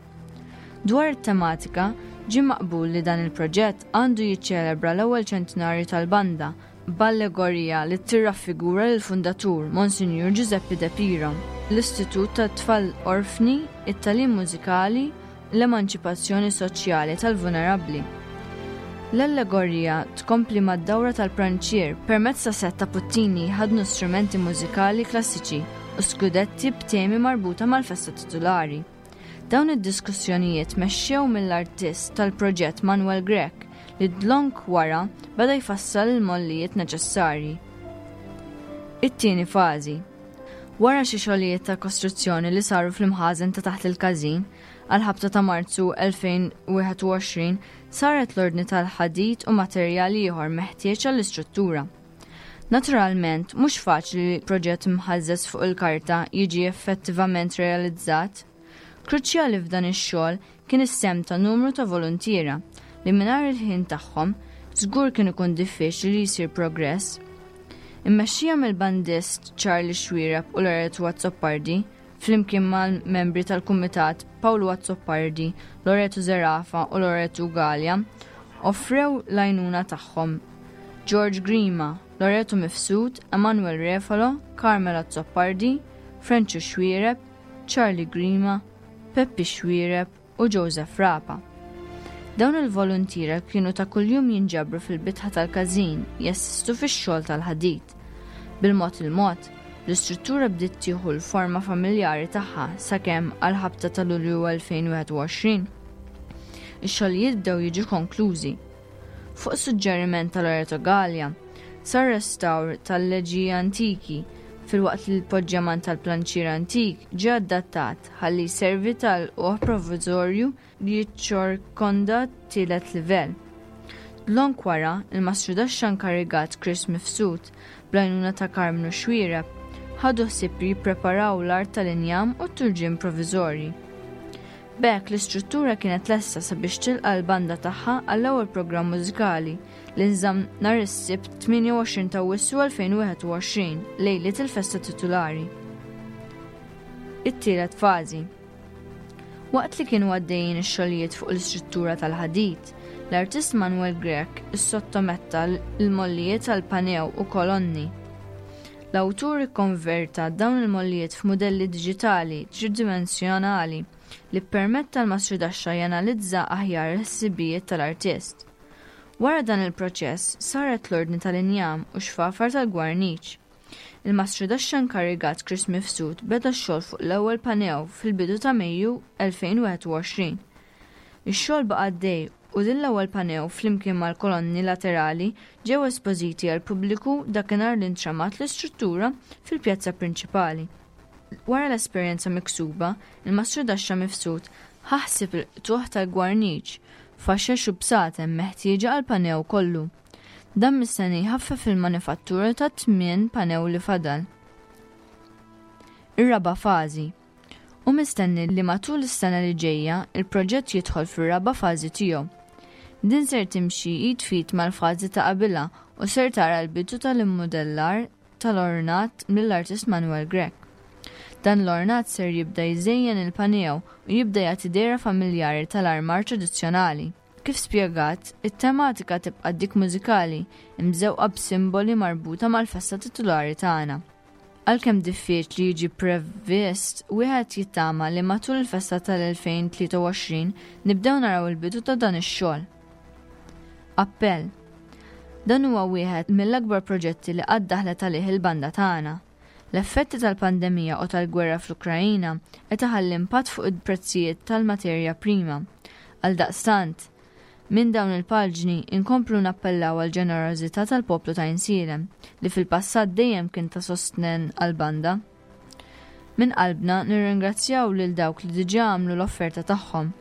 Dwar it-tematika, ġie maqbul li dan il-proġett għandu jiċċelebra l-ewwel ċentinarju tal-banda b'allegorija li tirraffigura lill-fundatur, Monsinjur Ġużeppi De Piro, l-Istitut tat-Tfal Orfni, it-tagħlim mużikali, l-emanċipazzjoni soċjali tal-vunerabbli. L-allegorija tkompli mad-dawra tal-pranċier permezz ta' sett ta' puttini jħaddnu strumenti mużikali klassiċi u skudetti b'temi marbuta mal-festa titulari. Dawn id-diskussjonijiet mexxew mill-artist tal-proġett Manuel Grech li dlonk wara beda jfassal il-mollijiet neċessarji. It-tieni fażi. Wara xi xogħlijiet ta' kostruzzjoni li saru fl-imħażen ta' taħt il-każin, għall-ħabta ta' Marzu 2021 saret l-ordni tal-ħadid u materjal ieħor meħtieġ għall-istruttura. Naturalment, mhux faċli li proġett mħażżeż fuq il-karta jiġi effettivament realizzat. Kruċjali f'dan ix-xogħol kien is-sehem ta' numru ta' voluntiera li mingħajr il-ħin tagħhom żgur kien ikun diffiċli li jsir progress. Immexxija mill-bandist Charlie Xuereb u Loreto Azzopardi, flimkien mal-membri tal-kumitat Pawlu Azzopardi, Loreto Zerafa u Loreto Galea, offrew l-għajnuna tagħhom George Grima, Loreto Mifsud, Emanuel Refalo, Carmel Azzopardi, Frenċu Xuereb, Charlie Grima, Peppi Xuereb u Joseph Rapa. Dawn il-voluntiera kienu ta' kuljum jinġabru fil-bitħa tal-każin jassistu fix-xogħol tal-ħadid. Bil-mod il-mod, l-istruttura bdiet tieħu l-forma familjari tagħha sakemm għall-ħabta ta' Lulju 2021, ix-xogħlijiet bdew jiġu konklużi. Fuq suġġeriment ta' Loreto Galea, sar restawr tal-leġiji antiki filwaqt li l-poġġjaman tal-planċier antik ġie adattat ħalli jservi ta' lqugħ provviżorju li jiċċorkonda t-tielet livell. Dlonk wara, il-mastrudaxxa inkarigat Chris Mifsud, bl-għajnuna ta' Karmnu Xuereb, ħadu ħsieb li jippreparaw l-art tal-injam u t-turġien proviżorji. B'hekk l-istruttura kienet lesta sabiex tilqa' l-banda tagħha għall-ewwel programm mużikali li nżamm nhar is-Sibt 28 ta' Awwissu 2021, lejliet il-festa titulari. It-tielet fażi. Waqt li kienu għaddejjin ix-xogħlijiet fuq l-istruttura tal-ħadid, l-artist Manuel Grech issottometta l-mollijiet għal panew u kolonni. L-awtur ikkonverta dawn il-mollijiet f'mudelli diġitali tridimensjonali li ppermetta l-mastrudaxxa janalizza aħjar il-ħsibijiet tal-artist. Wara dan il-proċess saret l-ordni tal-injam u xfafar tal-gwarniċ. Il-mastrudaxxa inkarigat Chris Mifsud beda x-xogħol fuq l-ewwel panew fil-bidu ta' Mejju 2021. Ix-xogħol baqa' għaddej u din l-ewwel panew flimkien mal-kolonni laterali ġew espożiti għall-pubbliku dakinhar li ntramat l-istruttura fil-pjazza prinċipali. Wara l-esperjenza miksuba, il-mastrudaxxa Mifsud ħa ħsieb il-qtugħ tal-gwarniċ, faxex u bsaten meħtieġa għall-panew kollu. Dan mistenni jħaffef il-manifattura tat-tmien panew li fadal. Ir-raba' fażi. Hu mistenni li matul is-sena li ġejja, il-proġett jidħol fir-raba' fażi tiegħu. Din ser timxi id f'id mal-fażi ta' qabilha u ser tara l-bidu tal-immudellar tal-ornat mill-artist Manuel Grech. Dan l-ornat ser jibda jżejjen il-panew u jibda jagħti dehra familjari tal-armar tradizzjonali. Kif spjegat, it-tematika tibqa' dik mużikali, imżewqa b'simboli marbuta mal-festa titulari tagħna. Għalkemm diffiċli jiġi previst, wieħed jittama li matul il-festa tal-2023 nibdew naraw il-bidu ta' dan ix-xogħol. Appell. Dan huwa wieħed mill-akbar proġetti li qatt daħlet għalih il-banda tagħna. L-effetti tal-pandemija u tal-gwerra fl-Ukraina qed iħalli impatt fuq il-prezzijiet tal-materja prima. Għaldaqstant, minn dawn il-paġni inkomplu nappellaw għall-ġenerożità tal-poplu ta' Għajnsielem li fil-passat dejjem kien ta' sostnen għall-banda. Minn qalbna nirringrazzjaw lil dawk li diġà għamlu l-offerta tagħhom.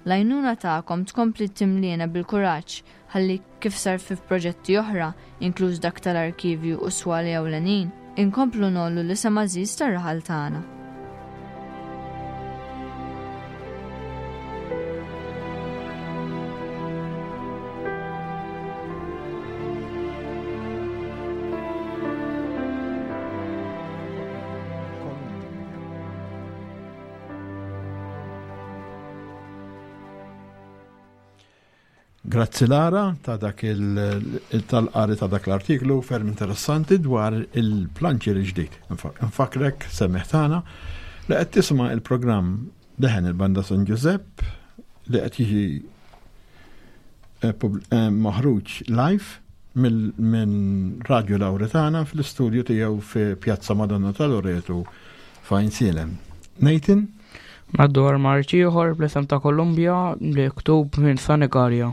L-għajnuna tagħkom tkompli timliena bil-kuraġġ ħalli kif sar fi proġetti oħra, inkluż dak tal-arkivju u swali ewlenin, inkomplu ngħollu l-isem għażiż tar-raħal tagħna. Grazzi Lara ta' dak il-tal-qari ta' dak l-artiklu ferm interessanti dwar il-planċi l-ġdid. Nfakrek semmiħ tagħna li qed tisma' il-programm Leħen il-Banda San Ġużepp li qed jiġi eh, eh, maħruġ live minn Radio Lauretana fl-istudju tiegħu fi Pjazza Madonna tal-Loretu f'Għajnsielem. Nathan? Madwar marċ ieħor bl-isem ta' Kolumbja li ktub minn Sanigalia.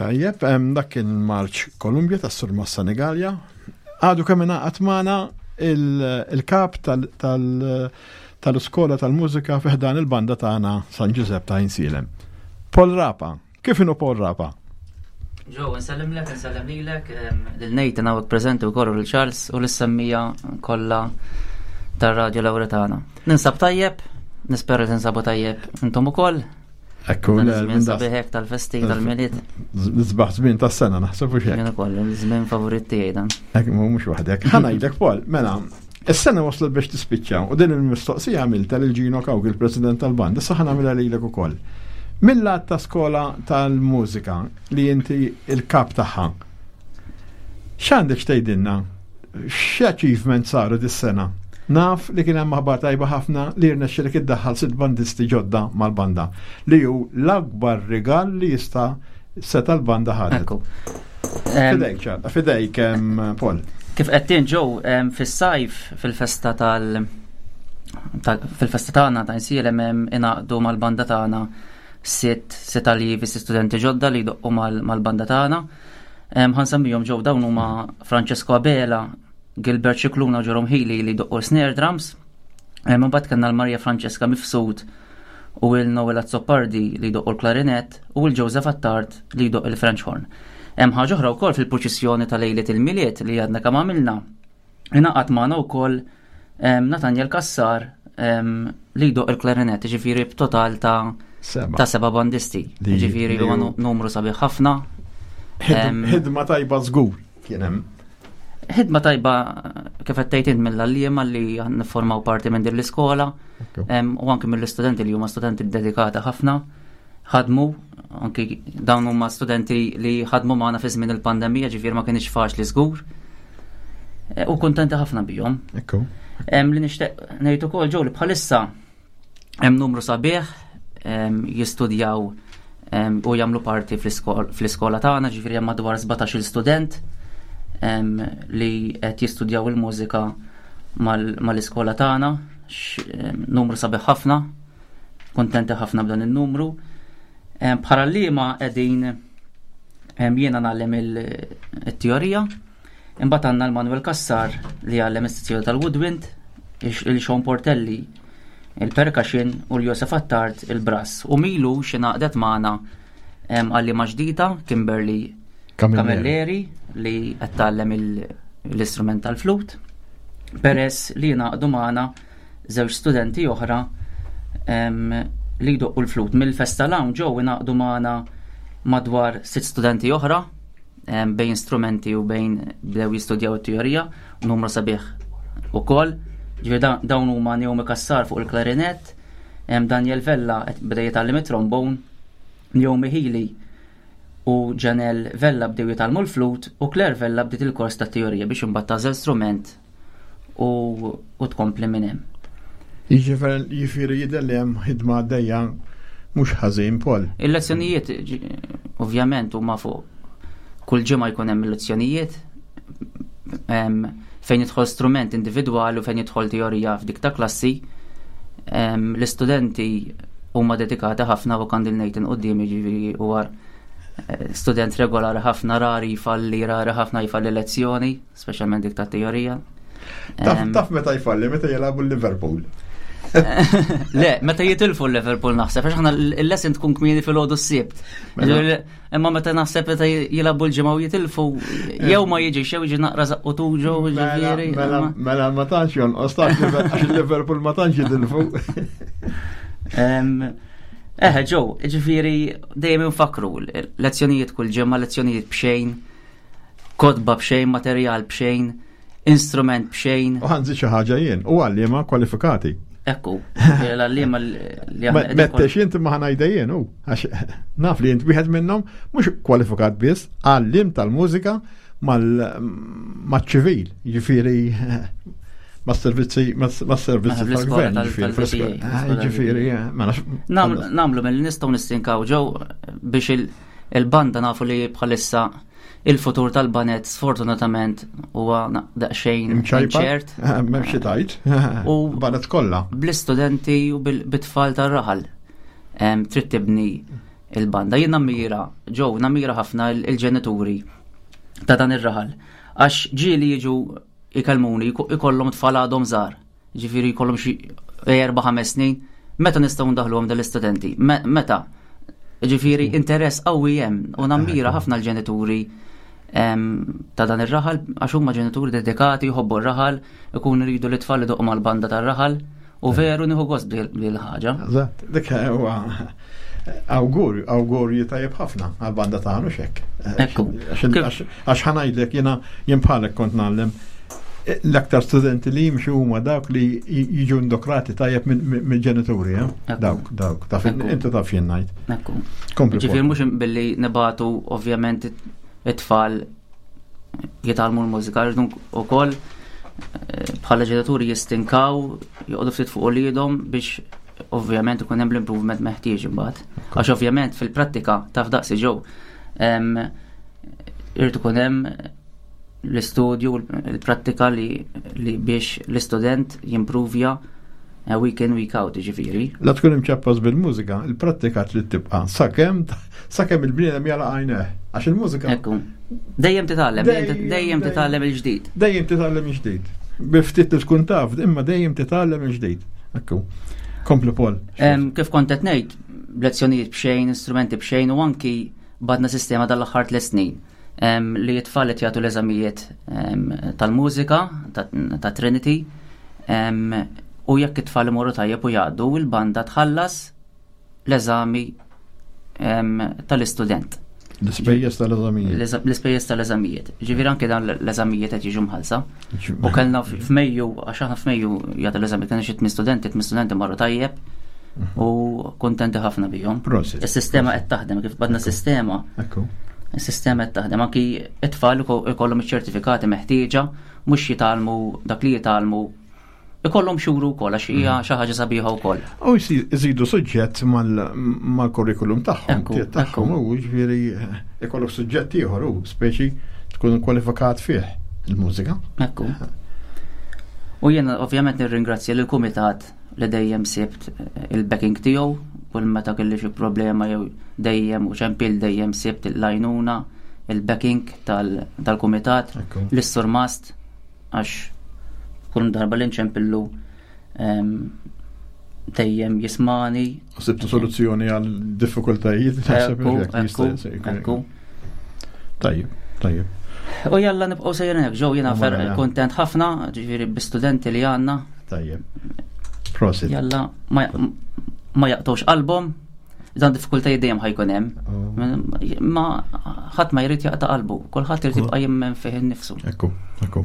Tajjeb, dak kien marċ Kolumbja tas-Sur Massa Nigalja. Għadu kemm ingħaqad magħna il-kap tal-iskola tal-mużika fi ħdan il-banda tagħna San Ġużepp ta' Insielem. Paul Rapa, kif inhu Paul Rapa? Ġo, nsellimlek, nsellem lilek, lil Nathan hawnhekk preżenti wkoll u lil Charles u lis-semmija kollha tar-Radio Lawretana. Ninsab tajjeb, nispera li tinsabu tajjeb intom ukoll. Ekku, żmien sabiħek tal-festi tal-milied. Nisbaħ żmien tas-sena naħseb u xejn. Jien ukoll, żmien favorit tiegħi dan. Ekk mhux waħdek. Ħa ngħidlek Paul, mela, is-sena waslet biex tispiċċa u din il-mistoqsija għamilta lil Gino Kawk, il-President tal-Band, issa ħa nagħmilha lilek ukoll. Mill-lat ta' skola tal-mużika li inti il-kap tagħha. X'għandek x'tgħidilna? X'achievement saru dis-sena? Naf li kien hemm aħbar tajba ħafna li rnexxilek iddaħħal sitt bandisti ġodda mal-banda, li hu l-akbar rigal li jista' seta' l-banda ħadet. Ekku. Fidejk, ċarta, fidejk, Paul. Kif qed ġew fis-sajf fil-festa tal fil-festa tagħna ta' insielem hemm ingħaqdu mal-banda tagħna sitt sitt allievi sitt studenti ġodda li jdoqqu mal-banda tagħna. Ħansemmihom ġew dawn huma Francesco Abela, Gilbert Scicluna u Jerome Healy li jdoqqu snare drums. Imbagħad kellna l-Maria Francesca Mifsud u il Noel Azzopardi li jdoqqu l-klarinett u l-Joseph Attard li jdoq il-French horn. Hemm ħaġa oħra wkoll fil-purċissjoni ta' lejliet il-Milied li għadna kemm għamilna. Ingħaqad magħna wkoll Nathaniel Cassar li jdoq il-klarinett, ġifieri b'total ta' ta' seba' bandisti. Ġifieri huwa numru sabiħ ħafna. Ħidma tajba żgur kien hemm. Ħidma tajba kif qed tgħid int mill-għalliema li niffurmaw parti minn din l-iskola u anke mill-istudenti li huma studenti dedikati ħafna ħadmu anki dawn huma studenti li ħadmu magħna fi żmien il-pandemija ġifier ma kienx faċli żgur. E, u kuntenti ħafna bihom. Ekku. Li nixtieq ngħid ukoll ġew li bħalissa hemm numru sabiħ jistudjaw u jagħmlu parti fl-iskola tagħna, ġifieri hemm madwar 17-il student li qed jistudjaw il-mużika mal-iskola tagħna, numru sabiħ ħafna, kuntenti ħafna b'dan in-numru. Bħala liema qegħdin jiena nagħllem il-teorija, imbagħad għandna l-Manuel Cassar li jgħallem is-sezzjoni tal-woodwind, il-Sean Portelli il-percussion u l-Josef Attard il-brass. U milu xi ngħaqdet magħna għalliema ġdida, Kimberly Camilleri, li qed tgħallem l-istrument tal-flut, peress li ngħaqdu magħna żewġ studenti oħra li jdoqqu l-flut. Mill-festa l ġew ingħaqdu magħna madwar sitt studenti oħra bejn strumenti u bejn bdew jistudjaw it-teorija, numru sabiħ ukoll. Ġifieri dawn huma Naomi Cassar fuq il-klarinett, Daniel Vella beda jitgħallem it-trombone, Naomi Healy u Janelle Vella bdew jitgħallmu l-flut u Claire Vella bdiet il-kors tat-teorija biex imbagħad tagħżel strument u tkompli minn hemm. Jiġifieri jidher li hemm ħidma għaddejja mhux ħażin Paul. Il-lezzjonijiet ovvjament huma fuq kull ġimgħa jkun hemm il-lezzjonijiet fejn jidħol strument individwali u fejn jidħol teorija f'dik ta' klassi. L-istudenti huma dedikati ħafna u kandil Nathan quddiem jiġifieri huwa eh, student regolari ħafna rari jfalli rari ħafna jfalli lezzjoni speċjalment dik ta' teorija. Taf meta jfalli, meta jilagħbu l-Liverpool. Le, meta jitilfu l-Liverpool naħseb, għax aħna l-lesson tkun kmieni fil-ħodu s-sibt. Mela. Imma meta naħseb meta jilagħbu l-ġimgħa u jitilfu, jew ma jiġix, jew jiġi naqra zaqqu tuġu, mela, ġifieri. Mela, mela ma tantx jonqos, għax il-Liverpool ma tantx jitilfu. Eħe, ġew, ġifieri dejjem infakru lezzjonijiet kull ġimgħa, lezzjonijiet b'xejn. Kotba b'xejn, materjal b'xejn, instrument b'xejn. U ħanżid xi ħaġa jien, u għalliema kwalifikati. Ekku, l-għalliema li aħna. Mettex inti ma ħanajda jien, u għax naf li int wieħed minnhom mhux kwalifikat biss, għalliem tal-mużika mal-ċivil, jiġifieri mas-servizzi mas-servizzi tal-gvern, jiġifieri, ma nafx. Namlu mill nistgħu nistinkaw ġew biex il-banda nafu li bħalissa il-futur tal-banet sfortunatament huwa daqsxejn ċert. M'hemm xi tgħid. U banet kollha. Bl-istudenti u bit-tfal tar-raħal. Trid tibni il-banda. Jien nammira, ġew, nammira ħafna il-ġenituri ta' dan ir-raħal. Għax ġieli jiġu ikellmuni, ikollhom tfal għadhom żgħar, ġifieri jkollhom xi 4-5 snin, meta nistgħu ndaħluhom dal-istudenti? Meta? Ġifieri interess qawwi hemm u nammira ħafna l-ġenituri ta' dan ir-raħal għax huma ġenituri dedikati jħobbu r-raħal, ikunu jridu li tfal idoqqu mal-banda tar-raħal u veru nieħu gost bil-ħaġa. Eżatt, dik huwa awgurju, awgurju tajjeb ħafna għal-banda tagħna xek. Ekku. Għax ħanajdlek jiena jien bħalek kont ngħallem l-aktar studenti li jimxu huma dawk li jiġu indokrati tajjeb mill-ġenituri, eh? Dawk, dawk, taf inti taf jien ngħid. Ekku. Ġifieri mhux billi nibatu ovvjament it-tfal jitgħallmu l-mużika, rridu wkoll eh, bħala ġenituri jistinkaw, joqogħdu ftit fuq uliedhom biex ovvjament ikun hemm l-improvement meħtieġ imbagħad. Għax ovvjament fil-prattika taf daqsi ġew irid ikun hemm l-istudju, l-prattika li, li biex l-istudent jimpruvja eh, week in, week out, ġifiri. La tkun imċappas bil-mużika, il-prattika trid tibqa' sakemm sakemm il-bniedem jala għajneh. Għax il-mużika. Ekku. Dejjem titgħallem, dejjem titgħallem il-ġdid. Dejjem titgħallem il-ġdid. Biftit li tkun taf, imma dejjem titgħallem il-ġdid. Ekku. Kompli Paul. Kif kont qed ngħid, lezzjonijiet b'xejn, instrumenti b'xejn u anki badna sistema dal-aħħar tliet snin li t-tfal qed jagħtu l-eżamijiet tal-mużika ta' Trinity u jekk it-tfal imorru tajjeb u jgħaddu il-banda tħallas l-eżami tal-istudent. L-ispejjeż tal-eżamijiet. L-ispejjeż tal-eżamijiet. Ġifieri anke dan l-eżamijiet qed jiġu mħallsa. U kellna f'Mejju, għax aħna f'Mejju jagħtu l-eżami kellna xi tmien studenti, tmien studenti marru tajjeb u kontenti ħafna bihom. Is-sistema qed taħdem kif badna sistema. Is-sistema qed taħdem anki it-tfal ikollhom iċ-ċertifikati meħtieġa mhux jitgħallmu dak li jitgħallmu ikollhom xuru wkoll għax hija mm. xi ħaġa sabiħa wkoll. U jżidu suġġett mal-kurrikulum tagħhom, tagħhom u ġifieri eh, ikollok suġġett ieħor u speċi tkun kwalifikat fih il-mużika. Ekku. U jiena ovvjament nirringrazzja lill kumitat li dejjem sibt eh, il-backing tiegħu kull meta kelli xi problema jew dejjem u ċempil dejjem sibt l-għajnuna il-backing tal-kumitat l-surmast għax kull darba li nċempillu dejjem jismani. Sibtu soluzzjoni għal diffikultajiet. Ekku, Tajjeb, tajjeb. U jalla nibqgħu sejrin hekk ġew jiena fer kontent ħafna, ġifieri bi-studenti li għandna. Tajjeb. Prosit. Jalla ma jaqtgħux qalbhom, dan diffikultajiet dejjem ħajkun hemm. Oh. Ma ħadd ma jrid jaqta' qalbu, kulħadd irid jibqa' jemmen fih innifsu. Ekku, ekku.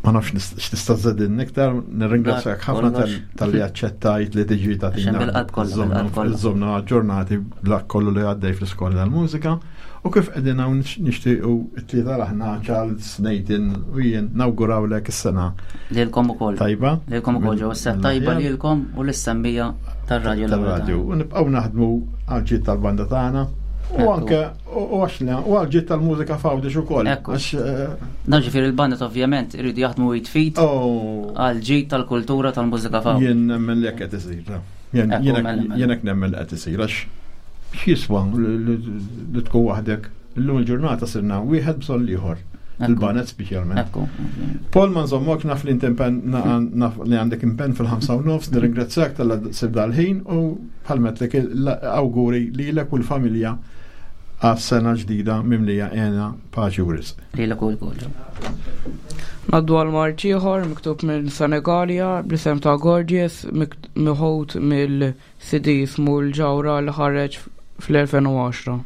Ma nafx x'tista' żedin iktar, nirringrazzjak ħafna tal-li aċċettajt li tiġi tagħtina. Bil-qalb kollha. Żomna ġurnati bla kollu li għaddej fl-iskola tal-mużika. U kif qegħdin hawn nixtiequ t-tlieta aħna Charles, Nathan u jien nawgurawlek is-sena. Lilkom ukoll. Tajba. Lilkom ukoll ġew is tajba lilkom u lis-semmija tar-radju. Tar-radju. U nibqgħu naħdmu għal-ġid tal-banda tagħna. U anke u għax u għal-ġid tal-mużika f'Għawdex ukoll. Għax eh, Dan ġifieri il-banda ovvjament iridu jaħdmu jitfit oh. għal-ġid tal-kultura tal-mużika f'Għawdex. Jien nemmen li hekk qed isir. Jien hekk nemmen li qed isir għax x'jiswa li tkun waħdek. Illum il-ġurnata sirna wieħed bżonn ieħor. Il-banet speċjalment. Paul ma nżommok naf li inti naf li għandek impenn fil-5 u nofs, nirringrazzjak tal sib dal-ħin u bħalmetlek l-awguri lilek u l-familja għas-sena ġdida mimlija għena paċi u risq. Lilek u l-kollu. Naddu għal marċ ieħor miktub minn Senegalia bl-isem ta' Gorgeous miħut mill-CD jismu l-ġawra li ħareġ fl-2010.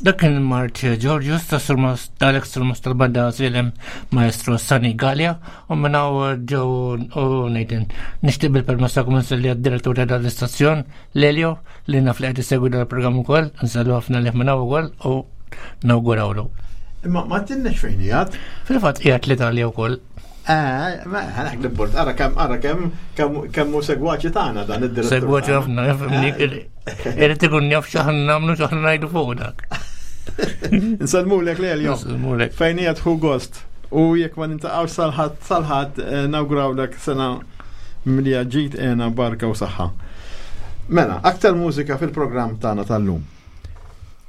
Dak kien il-Marċ Georgius ta' Surmas tal-ex Surmas tal-Banda Silem Maestro Sani Gallia u minn hawn ġew u Nathan. Nixtieq bil-permess tagħkom nselli għad-direttur ta' dan l-istazzjon Lelio li naf li qed isegwi dan il-programm ukoll, nsellu ħafna lih minn hawn ukoll u nawgurawlu. Imma ma tinnex fejn qiegħed? Fil-fatt qiegħed l-Italja wkoll. Eh, ma ħanak l-bord, ara kemm ara kemm kemm hu segwaċi tagħna dan id-direttur. Segwaċi ħafna, jafimni, eh. irid ikun jaf x'aħna nagħmlu x'aħna ngħidu fuq dak. Nsellmulek Lelio. Nsellmulek. Fejn qiegħed hu gost. U jekk ma nintaqgħux salħadd salħadd eh, nawgurawlek sena mlija ġid għena barka u saħħa. Mela, aktar mużika fil-programm tagħna tal-lum.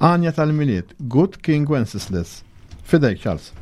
Anja tal-Milied, Good King Wenceslas. Fidejk, Charles.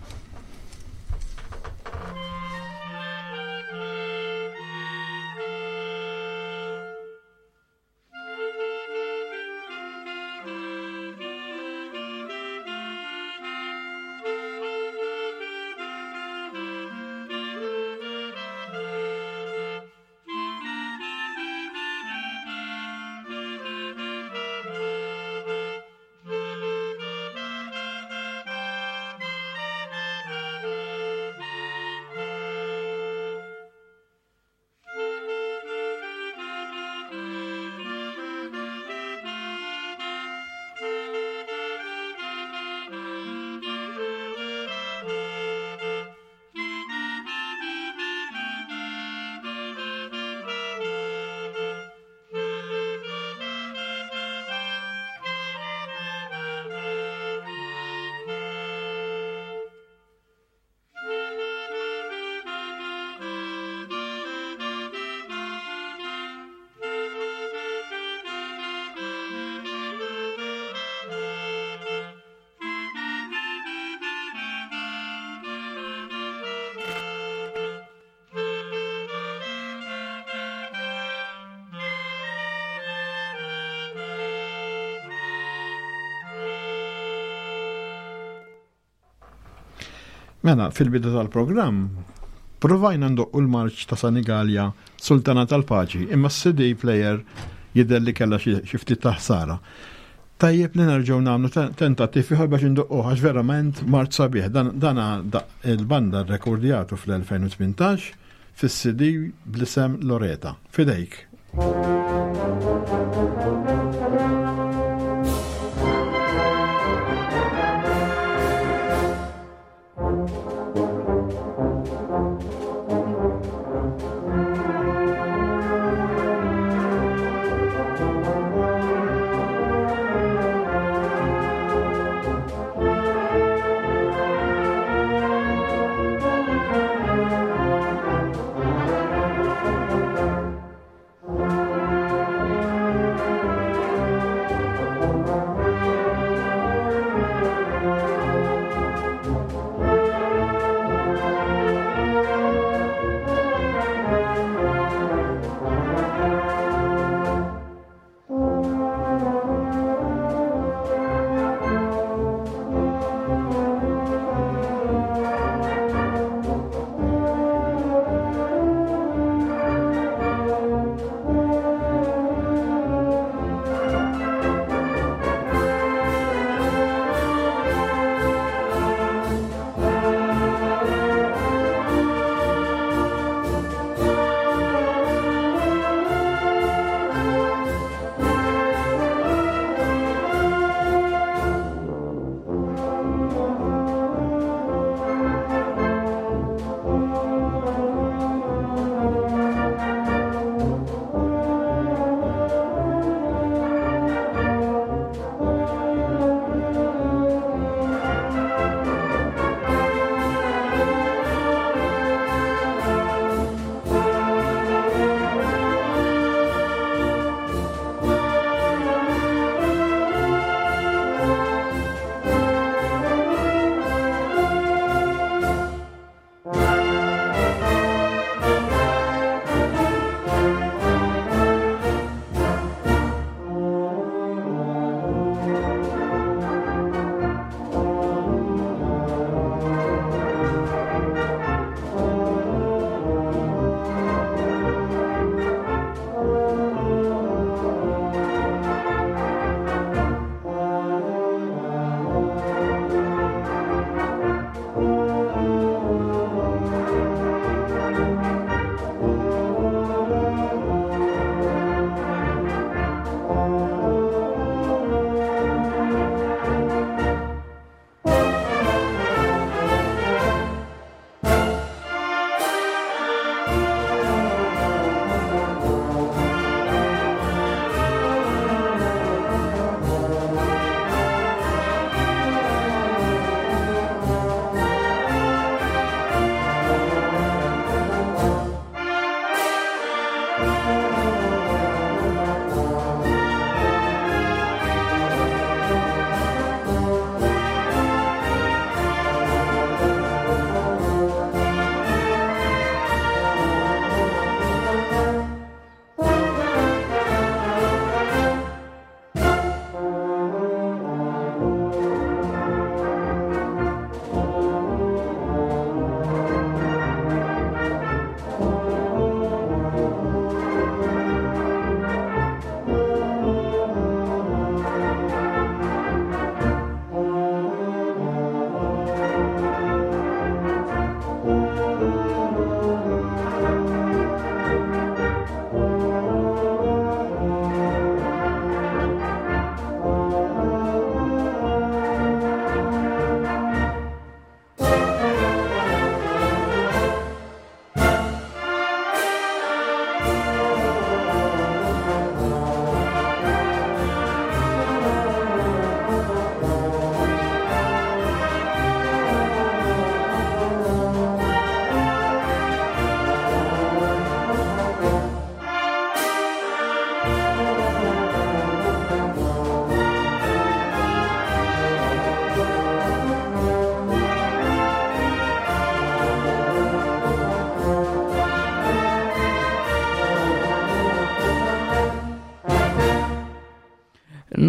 Mela, fil-bidu tal-programm, provajna ndoqqu l-marċ ta' Sanigalja Sultana tal-Paċi, imma s-CD player jidher li kellha xi ftit ta' ħsara. Tajjeb li nerġgħu nagħmlu tentattiv ieħor biex indoqquh għax verament mart sabiħ. Dan il-banda rrekordjatu fl-2018 fis-CD bl-isem Loreta. Fidejk.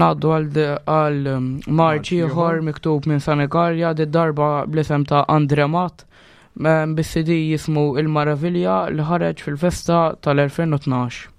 Naddu għal um, marċ ieħor miktub minn Sanigarja di darba bl-isem ta' Andre Matt um, bis-CD jismu Il-Maravilja li ħareġ fil-festa tal-2012.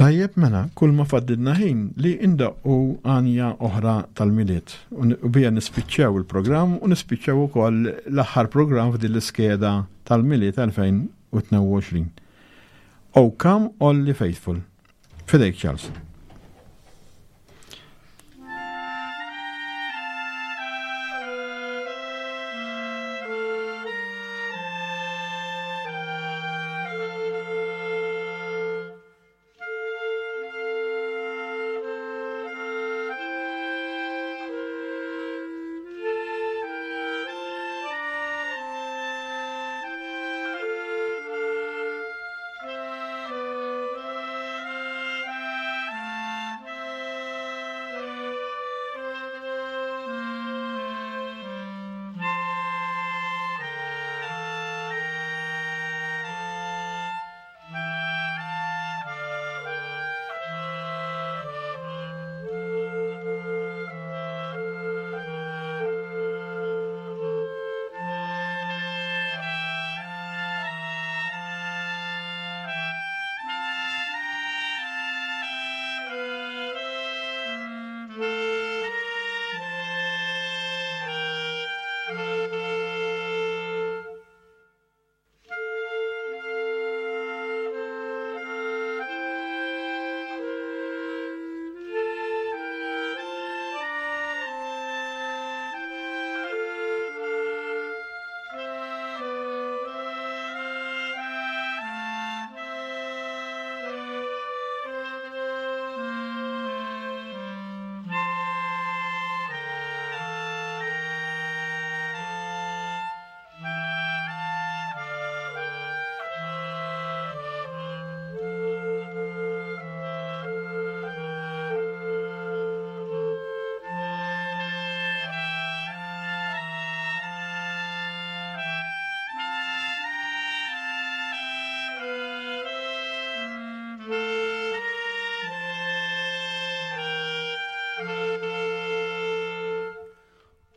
Tajjeb mela, kull ma faddilna ħin li indaqqu għanja oħra tal-Milied u bija nispiċċaw il-programm u nispiċċaw ukoll l-aħħar programm f'din l-iskeda tal-Milied 2022. O Come All Faithful. Fidejk Charles.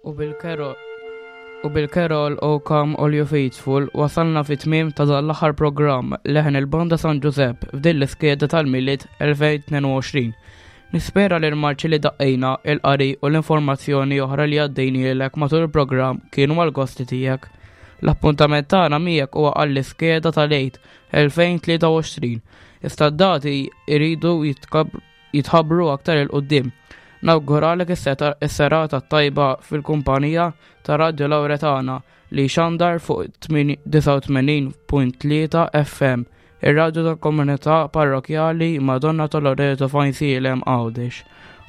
U bil-Carol U bil-Carol O Come All You Faithful wasalna fi tmiem ta' dan l-aħħar programm leħen il-Banda San Ġużepp f'din l-iskeda tal-Milied 2022. Nispera li l-marċi li daqqejna, il-qari u l-informazzjoni oħra li għaddejnielek matul il-programm kienu għall-gosti tiegħek. L-appuntament tagħna miegħek huwa għall-iskeda tal-Għid 2023. Iżda d-dati jridu jitħabbru aktar 'il quddiem. Nawguralek is-serata t-tajba fil-kumpanija ta' Radio Lauretana li jxandar fuq 89.3 FM, ir-radju tal-komunità parrokjali Madonna ta' Loreto f'Għajnsielem Għawdex.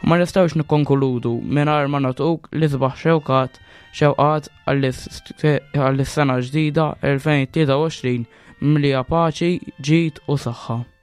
U ma nistgħux nikkonkludu mingħajr ma nagħtuk l-isbaħ xewqat xewqat għall-sena ġdida 2023 mimlija paċi, ġid u saħħa.